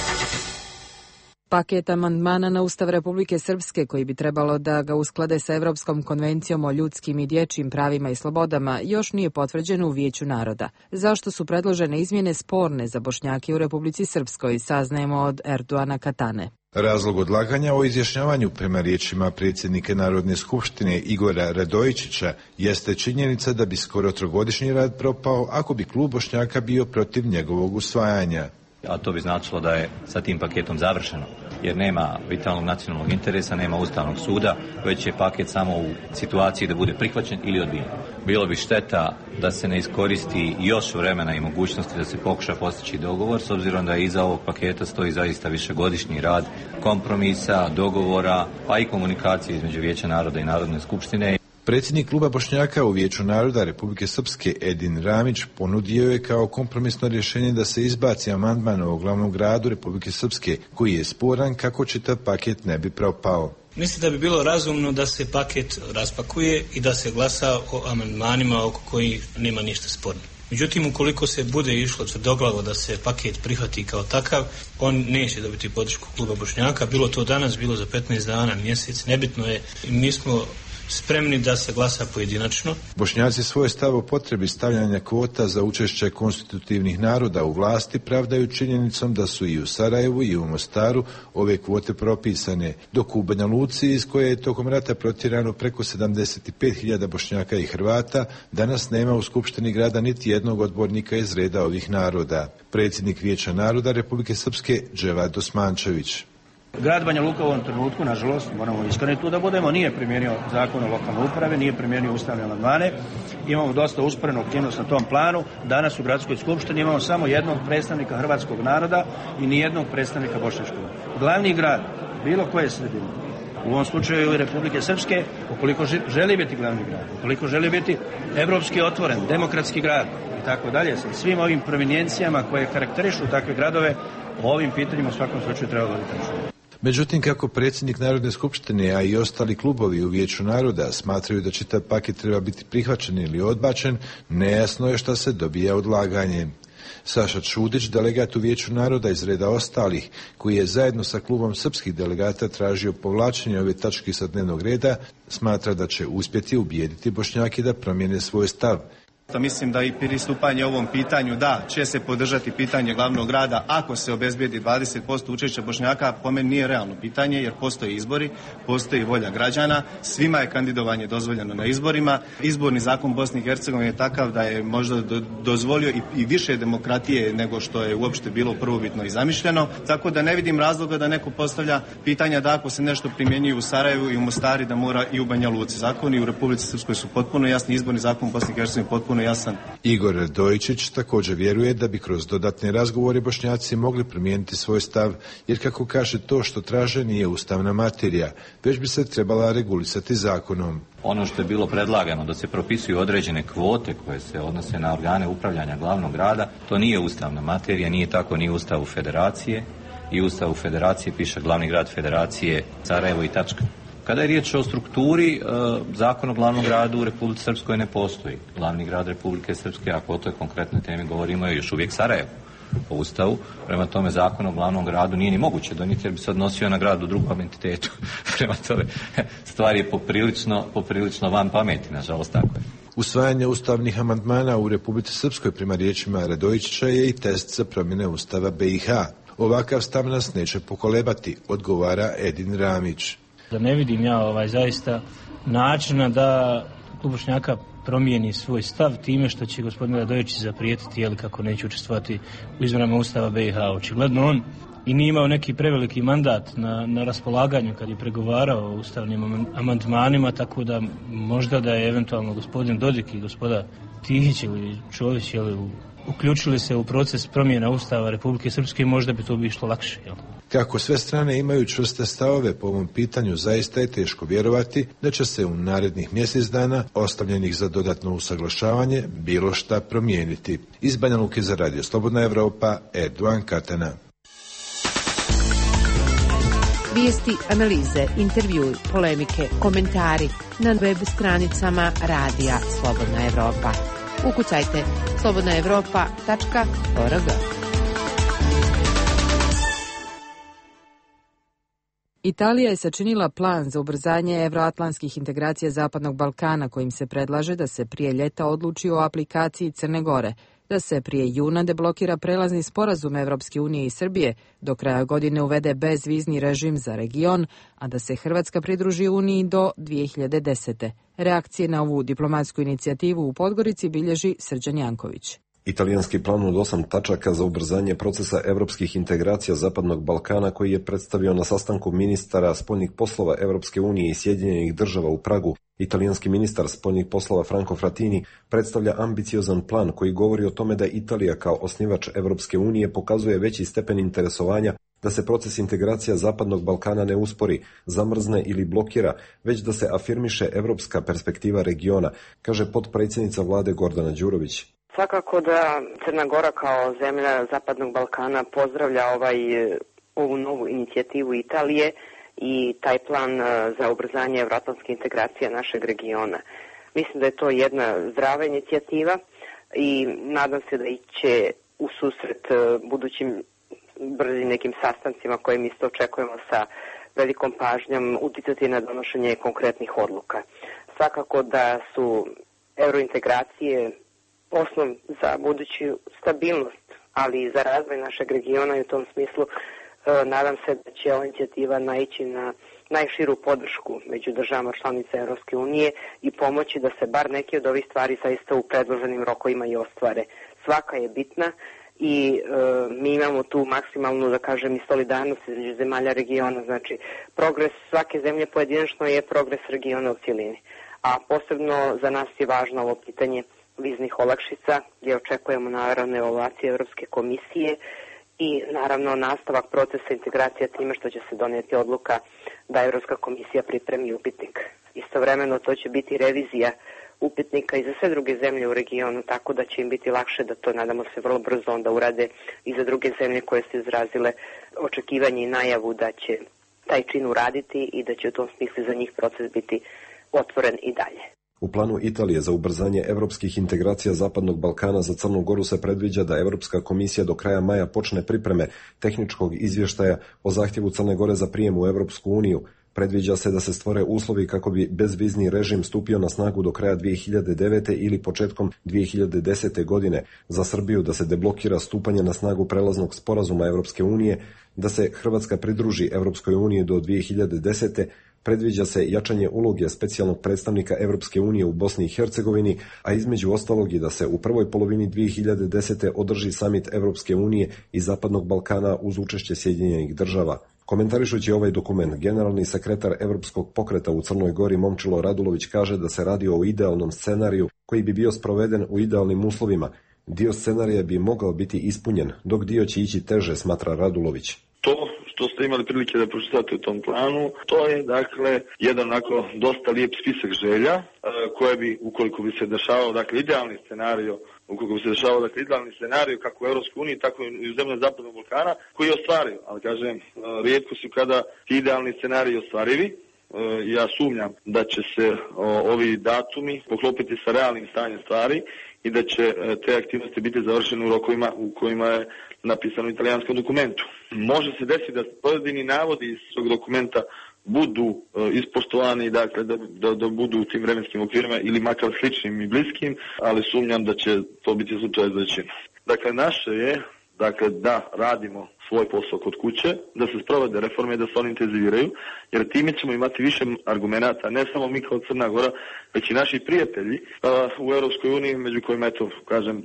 S1: Paket amandmana na Ustav Republike Srpske, koji bi trebalo da ga usklade sa Evropskom konvencijom o ljudskim i dječjim pravima i slobodama, još nije potvrđen u Vijeću naroda. Zašto su predložene izmjene sporne za Bošnjake u Republici Srpskoj, saznajemo od Erdoana Katane.
S21: Razlog odlaganja o izjašnjavanju prema riječima predsjednika Narodne skupštine Igora Radojičića jeste činjenica da bi skoro 3-godišnji rad propao ako bi klub Bošnjaka bio protiv njegovog usvajanja.
S28: A to bi značilo da je sa tim paketom završeno, jer nema vitalnog nacionalnog interesa, nema Ustavnog suda, već je paket samo u situaciji da bude prihvaćen ili odbijen. Bilo bi šteta da se ne iskoristi još vremena i mogućnosti da se pokuša postići dogovor, s obzirom da iza ovog paketa stoji zaista višegodišnji rad kompromisa, dogovora, pa i komunikacije između Vijeća naroda i Narodne skupštine.
S21: Predsjednik kluba Bošnjaka u Vijeću naroda Republike Srpske Edin Ramić ponudio je kao kompromisno rješenje da se izbaci amandman o glavnom gradu Republike Srpske, koji je sporan kako čitav paket ne bi propao.
S29: Mislim da bi bilo razumno da se paket raspakuje i da se glasa o amandmanima oko kojih nema ništa sporno. Međutim, ukoliko se bude išlo tvrdoglavo da se paket prihvati kao takav, on neće dobiti podršku kluba Bošnjaka, bilo to danas, bilo za 15 dana, mjesec, nebitno je. Mi smo spremni da se glasa pojedinačno.
S21: Bošnjaci svoj stav o potrebi stavljanja kvota za učešće konstitutivnih naroda u vlasti pravdaju činjenicom da su i u Sarajevu i u Mostaru ove kvote propisane, dok u Banja Luci, iz koje je tokom rata protjerano preko 75.000 Bošnjaka i Hrvata, danas nema u Skupštini grada niti jednog odbornika iz reda ovih naroda. Predsjednik Vijeća naroda Republike Srpske Dževad Osmančević.
S30: Grad Banja Luka u ovom trenutku, nažalost, moramo iskreni tu da budemo, nije primijenio zakon o lokalnoj upravi, nije primijenio ustavne amandmane. Imamo dosta usporenu aktivnost na tom planu. Danas u gradskoj skupštini imamo samo jednog predstavnika hrvatskog naroda i nijednog predstavnika bošnjačkog. Glavni grad bilo koje sredine, u ovom slučaju i Republike Srpske, ukoliko želi biti glavni grad, ukoliko želi biti evropski otvoren, demokratski grad i tako dalje, sa svim ovim prominencijama koje karakterišu takve gradove, o ovim pitanjima u svakom slučaju treba voditi računa.
S21: Međutim, kako predsjednik Narodne skupštine, a i ostali klubovi u Vijeću naroda smatraju da čitav paket treba biti prihvaćen ili odbačen, nejasno je šta se dobija odlaganjem. Saša Čudić, delegat u Vijeću naroda iz reda ostalih, koji je zajedno sa klubom srpskih delegata tražio povlačenje ove tačke sa dnevnog reda, smatra da će uspjeti ubijediti Bošnjake da promijene svoj stav.
S4: Mislim da i pristupanje ovom pitanju da će se podržati pitanje glavnog grada ako se obezbijedi 20% učešća Bošnjaka, po meni nije realno pitanje jer postoje izbori, postoji volja građana, svima je kandidovanje dozvoljeno na izborima. Izborni zakon Bosne i Hercegovine je takav da je možda dozvolio i više demokratije nego što je uopšte bilo prvobitno i zamišljeno, tako da ne vidim razloga da neko postavlja pitanja da ako se nešto primjenjuje u Sarajevu i u Mostari da mora i u Banja Luci. Zakoni u Republici Srpskoj su potpuno jasni, izborni zakon Bosne i Hercegovine potpuno jasan.
S21: Igor Radojičić također vjeruje da bi kroz dodatne razgovore Bošnjaci mogli promijeniti svoj stav, jer kako kaže to što traže nije ustavna materija, već bi se trebala regulisati zakonom.
S28: Ono što je bilo predlagano da se propisuju određene kvote koje se odnose na organe upravljanja glavnog grada, to nije ustavna materija, nije tako ni u Ustavu Federacije. I u Ustavu Federacije piše glavni grad Federacije Sarajevo i tačka. Kada je riječ o strukturi, zakon o glavnom gradu u Republici Srpskoj ne postoji. Glavni grad Republike Srpske, ako o toj konkretnoj temi govorimo, je još uvijek Sarajevo po Ustavu. Prema tome, zakon o glavnom gradu nije ni moguće donijeti jer bi se odnosio na grad u drugom entitetu. Prema tome, stvar je poprilično van pameti, nažalost tako je.
S21: Usvajanje ustavnih amandmana u Republici Srpskoj prema riječima Radojičića je i test za promjene Ustava BiH. Ovakav stav nas neće pokolebati, odgovara Edin Ramić.
S29: Da ne vidim ja zaista načina da klub Bošnjaka promijeni svoj stav time što će gospodin Radojičić zaprijetiti kako neće učestvovati u izmjenama Ustava BiH. Očigledno on i nije imao neki preveliki mandat na raspolaganju kad je pregovarao o ustavnim amandmanima, tako da možda da je eventualno gospodin Dodik i gospoda Tihić ili Čović uključili se u proces promjena Ustava Republike Srpske, možda bi to bi išlo lakše.
S21: Kako sve strane imaju čvrste stavove po ovom pitanju, zaista je teško vjerovati da će se u narednih mjesec dana, ostavljenih za dodatno usaglašavanje, bilo šta promijeniti. Iz Banja Luke za Radio Slobodna Evropa, Erdogan Katana.
S3: Vijesti, analize, intervjui, polemike, komentari na web stranicama Radija Slobodna Evropa. Ukucajte slobodnaevropa.org.
S2: Italija je sačinila plan za ubrzanje evroatlantskih integracija Zapadnog Balkana, kojim se predlaže da se prije ljeta odluči o aplikaciji Crne Gore, da se prije juna deblokira prelazni sporazum Evropske unije i Srbije, do kraja godine uvede bezvizni režim za region, a da se Hrvatska pridruži Uniji do 2010. Reakcije na ovu diplomatsku inicijativu u Podgorici bilježi Srđan Janković.
S5: Italijanski plan od 8 tačaka za ubrzanje procesa evropskih integracija Zapadnog Balkana, koji je predstavio na sastanku ministara spoljnih poslova Evropske unije i Sjedinjenih država u Pragu, italijanski ministar spoljnih poslova Franco Frattini predstavlja ambiciozan plan koji govori o tome da Italija kao osnivač Evropske unije pokazuje veći stepen interesovanja da se proces integracija Zapadnog Balkana ne uspori, zamrzne ili blokira, već da se afirmiše evropska perspektiva regiona, kaže potpredsjednica vlade Gordana Đurović.
S17: Svakako da Crna Gora kao zemlja Zapadnog Balkana pozdravlja ovu novu inicijativu Italije i taj plan za ubrzanje evroatlantske integracije našeg regiona. Mislim da je to jedna zdrava inicijativa i nadam se da će u susret budućim brzim nekim sastancima koje mi isto očekujemo sa velikom pažnjom uticati na donošenje konkretnih odluka. Svakako da su eurointegracije osnov za buduću stabilnost, ali i za razvoj našeg regiona i u tom smislu nadam se da će ova inicijativa naići na najširu podršku među državama članica Europske unije i pomoći da se bar neke od ovih stvari zaista u predloženim rokovima i ostvare. Svaka je bitna i mi imamo tu maksimalnu, da kažem, i solidarnost između zemalja regiona. Znači, progres svake zemlje pojedinačno je progres regiona u cjelini. A posebno za nas je važno ovo pitanje viznih olakšica, gdje očekujemo naravno evaluacije Europske komisije i naravno nastavak procesa integracije time što će se donijeti odluka da Europska komisija pripremi upitnik. Istovremeno to će biti revizija upitnika i za sve druge zemlje u regionu, tako da će im biti lakše da to, nadamo se, vrlo brzo onda urade i za druge zemlje koje su izrazile očekivanje i najavu da će taj čin uraditi i da će u tom smislu za njih proces biti otvoren i dalje.
S5: U planu Italije za ubrzanje evropskih integracija Zapadnog Balkana za Crnu Goru se predviđa da Europska komisija do kraja maja počne pripreme tehničkog izvještaja o zahtjevu Crne Gore za prijem u Europsku uniju. Predviđa se da se stvore uslovi kako bi bezvizni režim stupio na snagu do kraja 2009. ili početkom 2010. godine, za Srbiju da se deblokira stupanje na snagu prelaznog sporazuma Europske unije, da se Hrvatska pridruži Europskoj uniji do 2010. Predviđa se jačanje uloge specijalnog predstavnika Europske unije u Bosni i Hercegovini, a između ostalog i da se u prvoj polovini 2010. održi samit Europske unije i Zapadnog Balkana uz učešće Sjedinjenih Država. Komentarišući ovaj dokument, generalni sekretar Europskog pokreta u Crnoj Gori Momčilo Radulović kaže da se radi o idealnom scenariju koji bi bio sproveden u idealnim uslovima. Dio scenarija bi mogao biti ispunjen, dok dio će ići teže, smatra Radulović.
S6: To što ste imali prilike da pročitate u tom planu, to je dakle jedan onako dosta lijep spisak želja koje bi, ukoliko bi se dešavao, dakle idealni scenario kako u Europskoj uniji, tako i u zemljama Zapadnog Balkana, koji je ostvario. Ali kažem, rijetko su kada ti idealni scenariji ostvarivi. Ja sumnjam da će se ovi datumi poklopiti sa realnim stanjem stvari i da će te aktivnosti biti završene u rokovima u kojima je napisano u italijanskom dokumentu. Može se desiti da pojedini navodi iz tog dokumenta budu ispoštovani, dakle da budu u tim vremenskim okvirima ili makar sličnim i bliskim, ali sumnjam da će to biti slučaj za većinu. Dakle, naše je da radimo svoj posao kod kuće, da se sprovode reforme i da se oni intenziviraju, jer time ćemo imati više argumenata, ne samo mi kao Crna Gora, već i naši prijatelji u Europskoj uniji, među kojima,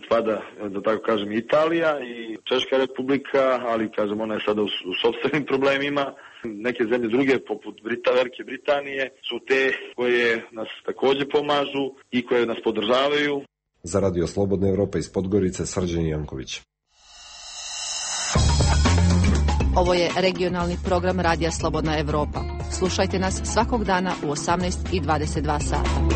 S6: spada, da tako kažem, Italija i Češka republika, ali, ona je sada u sopstvenim problemima. Neke zemlje druge, poput Velike Britanije, su te koje nas također pomažu i koje nas podržavaju.
S5: Za Radio Slobodna Evropa iz Podgorice, Srđan Janković.
S7: Ovo je regionalni program Radija Slobodna Evropa. Slušajte nas svakog dana u 18:22 sata.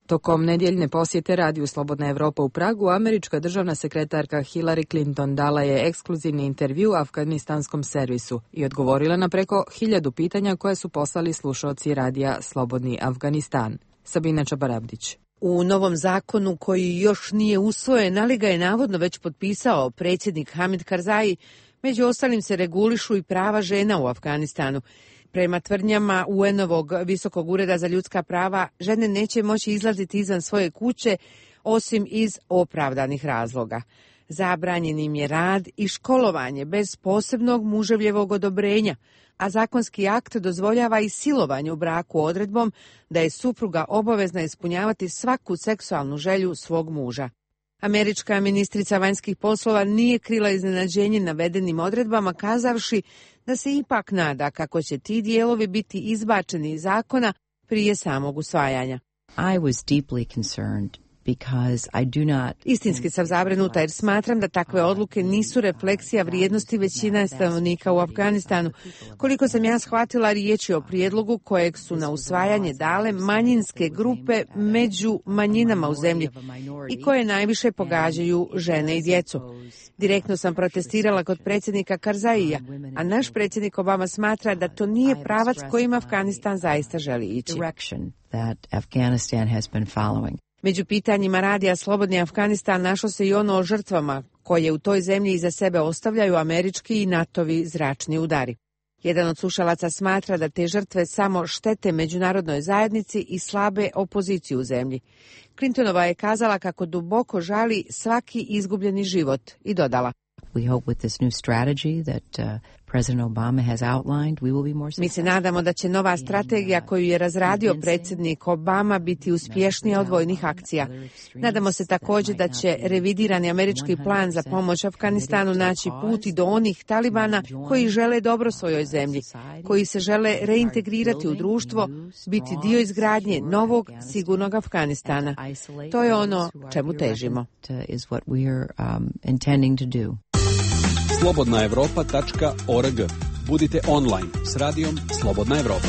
S1: Tokom nedjeljne posjete Radiju Slobodna Evropa u Pragu, američka državna sekretarka Hillary Clinton dala je ekskluzivni intervju afganistanskom servisu i odgovorila na preko 1000 pitanja koje su poslali slušaoci Radija Slobodni Afganistan. Sabina Čabarabdić.
S3: U novom zakonu koji još nije usvojen, ali ga je navodno već potpisao predsjednik Hamid Karzai, među ostalim se regulišu i prava žena u Afganistanu. Prema tvrdnjama UN-ovog Visokog ureda za ljudska prava, žene neće moći izlaziti izvan svoje kuće osim iz opravdanih razloga. Zabranjen im je rad i školovanje bez posebnog muževljevog odobrenja, a zakonski akt dozvoljava i silovanje u braku odredbom da je supruga obavezna ispunjavati svaku seksualnu želju svog muža. Američka ministrica vanjskih poslova nije krila iznenađenje navedenim odredbama, kazavši da se ipak nada kako će ti dijelovi biti izbačeni iz zakona prije samog usvajanja.
S8: I was deeply concerned.
S3: Istinski sam zabrinuta jer smatram da takve odluke nisu refleksija vrijednosti većine stanovnika u Afganistanu. Koliko sam ja shvatila, riječ je o prijedlogu kojeg su na usvajanje dale manjinske grupe među manjinama u zemlji i koje najviše pogađaju žene i djecu. Direktno sam protestirala kod predsjednika Karzaija, a naš predsjednik Obama smatra da to nije pravac kojim Afganistan zaista želi ići. Među pitanjima Radija Slobodni Afganistan našlo se i ono o žrtvama koje u toj zemlji iza sebe ostavljaju američki i NATO-vi zračni udari. Jedan od slušalaca smatra da te žrtve samo štete međunarodnoj zajednici i slabe opoziciju u zemlji. Clintonova je kazala kako duboko žali svaki izgubljeni život i dodala: Mi se nadamo da će nova strategija koju je razradio predsjednik Obama biti uspješnija od vojnih akcija. Nadamo se također da će revidirani američki plan za pomoć Afganistanu naći put i do onih talibana koji žele dobro svojoj zemlji, koji se žele reintegrirati u društvo, biti dio izgradnje novog, sigurnog Afganistana. To je ono čemu težimo.
S20: slobodnaevropa.org. Budite online s radijom Slobodna Evropa.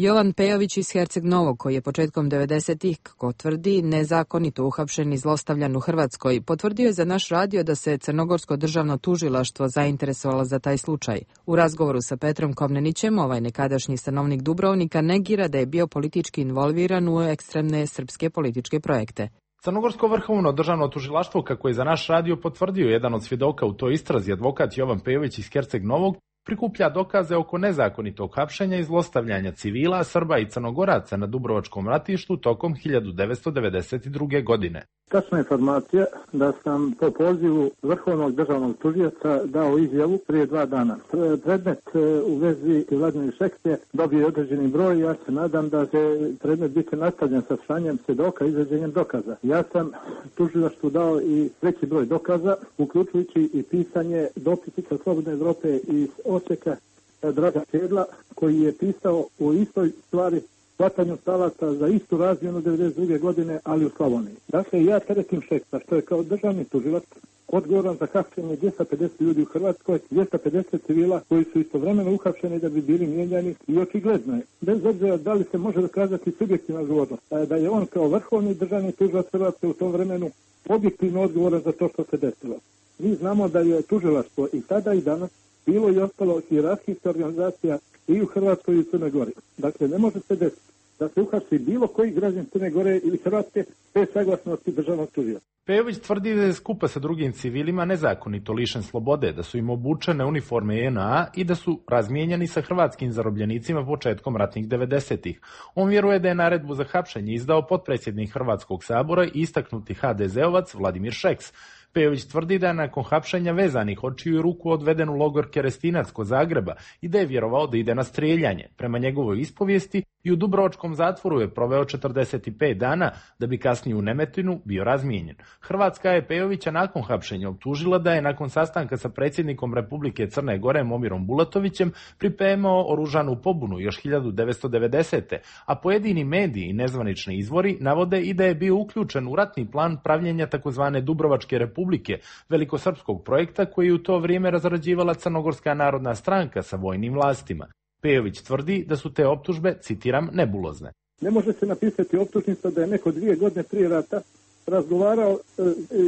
S2: Jovan Pejović iz Herceg Novog, koji je početkom 90-ih, kako tvrdi, nezakonito uhapšen i zlostavljan u Hrvatskoj, potvrdio je za naš radio da se Crnogorsko državno tužilaštvo zainteresovalo za taj slučaj. U razgovoru sa Petrom Komnenićem, ovaj nekadašnji stanovnik Dubrovnika negira da je bio politički involviran u ekstremne srpske političke projekte.
S9: Crnogorsko vrhovno državno tužilaštvo, kako je za naš radio potvrdio jedan od svjedoka u toj istrazi, advokat Jovan Pejović iz Herceg Novog, prikuplja dokaze oko nezakonitog hapšenja i zlostavljanja civila, Srba i Crnogoraca na Dubrovačkom ratištu tokom 1992. godine.
S10: Tačna informacija da sam po pozivu Vrhovnog državnog tužioca dao izjavu prije 2 dana. Predmet u vezi Vladimir Šeks je dobio određeni broj. Ja se nadam da će predmet biti nastavljen sa slanjem svjedoka i izveđenjem dokaza. Ja sam tužilaštvu dao i veći broj dokaza, uključujući i pisanje dopisnika Slobodne Evrope iz Osijeka Draga Čedla, koji je pisao o istoj stvari, hvatanju talaca za istu razmjenu 1992. godine, ali u Slavoniji. Dakle, ja teretim Šeksa, što je kao državni tužilac odgovoran za hapšenje 250 ljudi u Hrvatskoj, 250 civila koji su istovremeno uhapšeni da bi bili mijenjani, i očigledno je, bez obzira da li se može dokazati subjektivna odgovornost, da je on kao vrhovni državni tužilac Hrvatske u tom vremenu objektivno odgovoran za to što se desilo. Mi znamo da je tužilaštvo i tada i danas bilo i ostalo hijerarhijska organizacija i u Hrvatskoj i u Crnoj Gori. Dakle, ne može se desiti da se uhapsi bilo koji građan Crne Gore ili Hrvatske bez saglasnosti državnog tužioca.
S9: Pejović tvrdi da je skupa sa drugim civilima nezakonito lišen slobode, da su im obučene uniforme JNA i da su razmijenjani sa hrvatskim zarobljenicima početkom ratnih 90-ih. On vjeruje da je naredbu za hapšenje izdao potpredsjednik Hrvatskog sabora i istaknuti HDZ-ovac Vladimir Šeks. Pejović tvrdi da je nakon hapšenja vezanih očiju i ruku odveden u logor Kerestinac kod Zagreba i da je vjerovao da ide na strijeljanje. Prema njegovoj ispovijesti i u Dubrovačkom zatvoru je proveo 45 dana da bi kasnije u Nemetinu bio razmijenjen. Hrvatska je Pejovića nakon hapšenja optužila da je nakon sastanka sa predsjednikom Republike Crne Gore Momirom Bulatovićem pripremao oružanu pobunu još 1990. A pojedini mediji i nezvanični izvori navode i da je bio uključen u ratni plan pravljenja takozvane Dubrovačke Republike, velikosrpskog projekta koji je u to vrijeme razrađivala Crnogorska narodna stranka sa vojnim vlastima. Pejović tvrdi da su te optužbe, citiram, nebulozne.
S10: Ne može se napisati optužnica da je neko 2 godine prije rata razgovarao,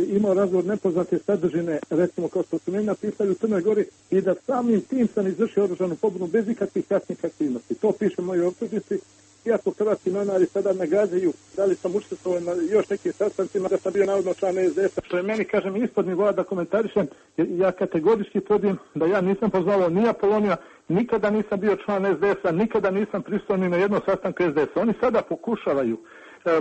S10: imao razgovor nepoznate sadržine, recimo kao što su meni napisali u Crnoj Gori, i da samim tim sam izvršio oružanu pobunu bez ikakvih kasnih aktivnosti. To piše u mojoj optužnici. Iako hrvatski novinari sada nagađaju da li sam učestvovao na još nekim sastancima, da sam bio navodno član SDS-a, što je meni, kažem, ispod nivoa da komentarišem, jer ja kategorički tvrdim da ja nisam pozvao ni Apolonija, nikada nisam bio član SDS-a, nikada nisam prisutan ni na jednom sastanku SDS-a. Oni sada pokušavaju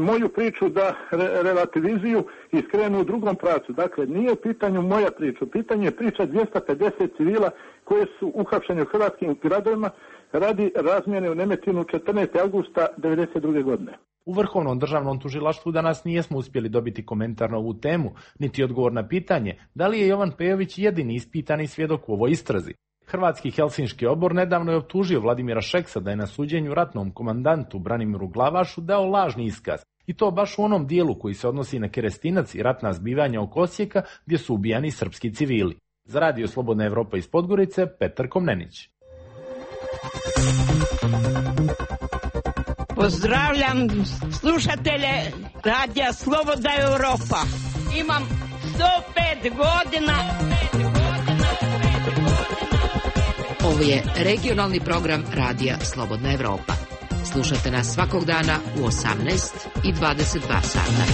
S10: moju priču da relativizuju i skrenu u drugom pravcu. Dakle, nije u pitanju moja priča, u pitanju je priča 250 civila koje su uhapšeni u hrvatskim gradovima radi razmjene u Nemetinu 14. augusta 1992. godine.
S9: U Vrhovnom državnom tužilaštvu danas nijesmo uspjeli dobiti komentar na ovu temu, niti odgovor na pitanje da li je Jovan Pejović jedini ispitani svjedok u ovoj istrazi. Hrvatski Helsinški odbor nedavno je optužio Vladimira Šeksa da je na suđenju ratnom komandantu Branimiru Glavašu dao lažni iskaz. I to baš u onom dijelu koji se odnosi na Kerestinac i ratna zbivanja oko Osijeka gdje su ubijani srpski civili. Za Radio Slobodna Evropa iz Podgorice, Petar Komnenić.
S11: Pozdravljam slušatelje Radija Slobodna Evropa. Imam 105 godina.
S3: Ovo je regionalni program Radija Slobodna Evropa. Slušate nas svakog dana u 18 i 22 sata.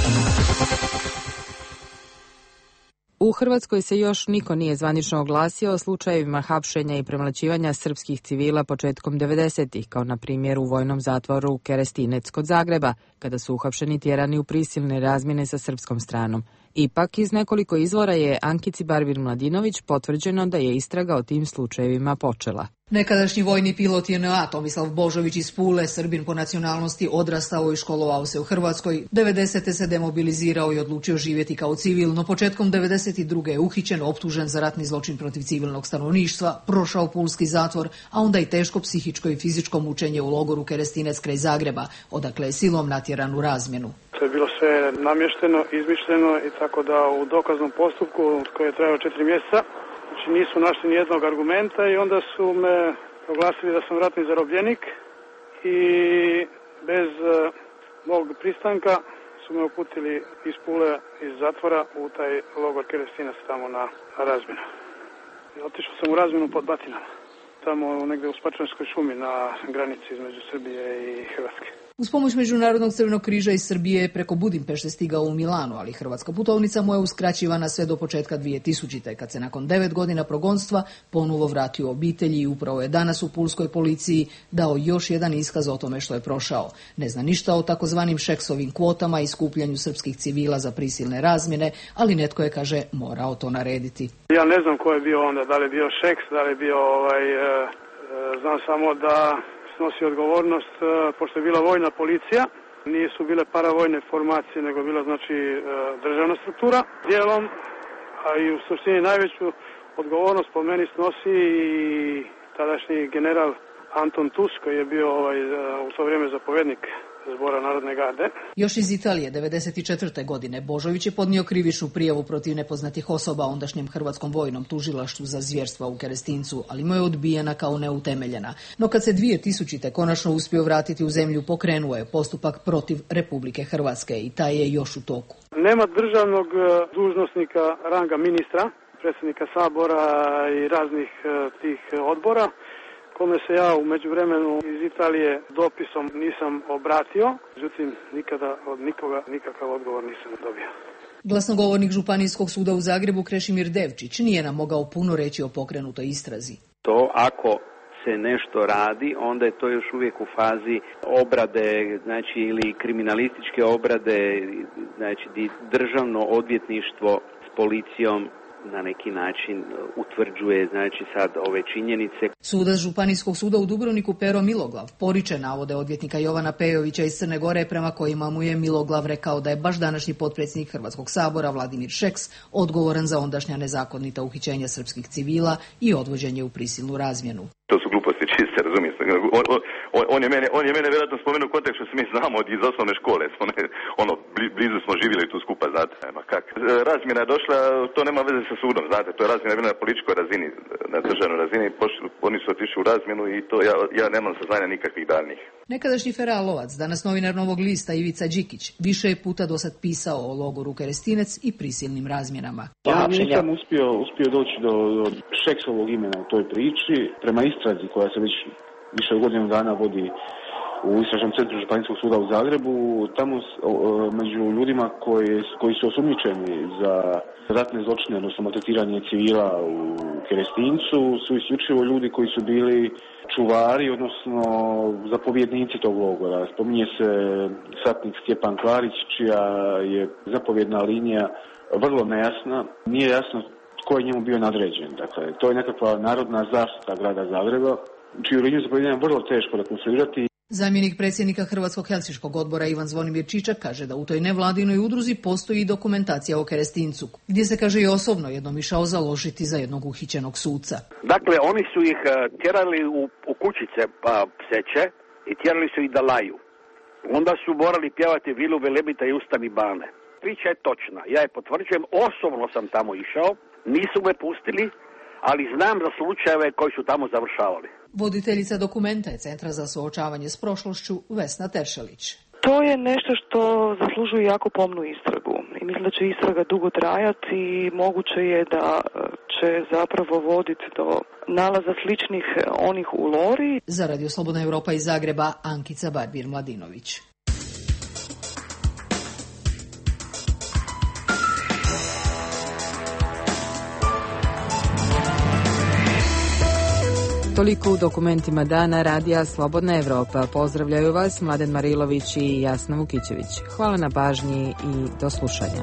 S2: U Hrvatskoj se još niko nije zvanično oglasio o slučajevima hapšenja i premlaćivanja srpskih civila početkom 90-ih, kao na primjer u vojnom zatvoru Kerestinec kod Zagreba, kada su uhapšeni tjerani u prisilne razmjene sa srpskom stranom. Ipak, iz nekoliko izvora je Ankici Barbir-Mladinović potvrđeno da je istraga o tim slučajevima počela.
S13: Nekadašnji vojni pilot JNA Tomislav Božović iz Pule, Srbin po nacionalnosti, odrastao i školovao se u Hrvatskoj. 90. se demobilizirao i odlučio živjeti kao civil, no početkom 92. je uhićen, optužen za ratni zločin protiv civilnog stanovništva, prošao pulski zatvor, a onda i teško psihičko i fizičko mučenje u logoru Kerestinec kraj Zagreba, odakle je silom natjeran u razmjenu.
S16: To je bilo sve namješteno, izmišljeno i tako da u dokaznom postupku koji je trajao 4 mjeseca, znači nisu našli ni jednog argumenta i onda su me proglasili da sam ratni zarobljenik, i bez mog pristanka su me uputili iz Pule, iz zatvora u taj logor Kerestinac tamo na razmjenu. Otišao sam u razmjenu pod Batinama, tamo negdje u Spačvanskoj šumi na granici između Srbije i Hrvatske.
S13: Uz pomoć Međunarodnog crvenog križa iz Srbije je preko Budimpešte stigao u Milano, ali hrvatska putovnica mu je uskraćivana sve do početka 2000. kad se nakon 9 godina progonstva ponovo vratio obitelji i upravo je danas u pulskoj policiji dao još jedan iskaz o tome što je prošao. Ne zna ništa o takozvanim Šeksovim kvotama i skupljanju srpskih civila za prisilne razmjene, ali netko je, kaže, morao to narediti.
S16: Ja ne znam ko je bio onda, da li je bio Šeks, da li je bio znam samo da snosi odgovornost, pošto je bila vojna policija, nisu bile paravojne formacije, nego bila znači državna struktura dijelom, a i u suštini najveću odgovornost po meni snosi i tadašnji general Anton Tus, koji je bio u to vrijeme zapovjednik Zbora Narodne garde.
S13: Još iz Italije 1994. godine Božović je podnio krivičnu prijavu protiv nepoznatih osoba ondašnjem Hrvatskom vojnom tužilaštvu za zvjerstva u Kerestincu, ali mu je odbijena kao neutemeljena. No kad se 2000. konačno uspio vratiti u zemlju, pokrenuo je postupak protiv Republike Hrvatske i taj je još u toku.
S16: Nema državnog dužnosnika ranga ministra, predsjednika Sabora i raznih tih odbora, kome se ja u međuvremenu iz Italije dopisom nisam obratio, međutim nikada od nikoga nikakav odgovor nisam dobio.
S13: Glasnogovornik Županijskog suda u Zagrebu Krešimir Devčić nije nam mogao puno reći o pokrenutoj istrazi.
S12: To ako se nešto radi, onda je to još uvijek u fazi obrade, znači ili kriminalističke obrade, znači državno odvjetništvo s policijom na neki način utvrđuje, znači sad ove činjenice.
S13: Sudac Županijskog suda u Dubrovniku Pero Miloglav poriče navode odvjetnika Jovana Pejovića iz Crne Gore, prema kojima mu je Miloglav rekao da je baš današnji potpredsjednik Hrvatskog sabora Vladimir Šeks odgovoran za ondašnja nezakonita uhićenja srpskih civila i odvođenje u prisilnu razmjenu.
S14: To su gluposti čiste, razumijete. On je mene vjerojatno spomenuo u kontekstu što se mi znamo iz osnovne škole. Blizu smo živjeli tu skupa, znate. Razmjena je došla, to nema veze sa sudom, znate. To je razmjena bila na političkoj razini, na državnoj razini. Oni su otišli u razmjenu i to ja nemam saznanja nikakvih daljnjih.
S13: Nekadašnji feralovac, danas novinar Novog lista Ivica Đikić, više je puta do sad pisao o logoru Kerestinec i prisilnim razmjenama.
S15: Ja nisam uspio doći do Šeksovog imena u toj priči. Prema istrazi koja se već više od godinu dana vodi u Istražnom centru Županijskog suda u Zagrebu, tamo među ljudima koji su osumnjičeni za ratne zločine, odnosno maltretiranje civila u Kerestincu, su isključivo ljudi koji su bili čuvari, odnosno zapovjednici tog logora. Spominje se satnik Stjepan Klarić, čija je zapovjedna linija vrlo nejasna. Nije jasno tko je njemu bio nadređen. Dakle, to je nekakva narodna zaštita grada Zagreba, čiju liniju zapovjedanja vrlo teško rekonstruirati.
S13: Zamjenik predsjednika Hrvatskog helsinškog odbora Ivan Zvonimir Čičak kaže da u toj nevladinoj udruzi postoji dokumentacija o Kerestincu, gdje se, kaže, i osobno jednom išao založiti za jednog uhićenog suca.
S19: Dakle, oni su ih tjerali u kućice pseće i tjerali su ih da laju. Onda su morali pjevati Vilu Velebita i Ustani bane. Priča je točna, ja je potvrđujem, osobno sam tamo išao, nisu me pustili, ali znam za slučajeve koji su tamo završavali.
S13: Voditeljica dokumenta je Centra za suočavanje s prošlošću Vesna Teršelić.
S22: To je nešto što zaslužuje jako pomnu istragu i mislim da će istraga dugo trajati i moguće je da će zapravo voditi do nalaza sličnih onih u Lori.
S13: Za Radio Slobodna Europa iz Zagreba, Ankica Barbir-Mladinović.
S2: Toliko u dokumentima dana Radija Slobodna Europa. Pozdravljaju vas Mladen Marilović i Jasna Vukićević. Hvala na pažnji i do slušanja.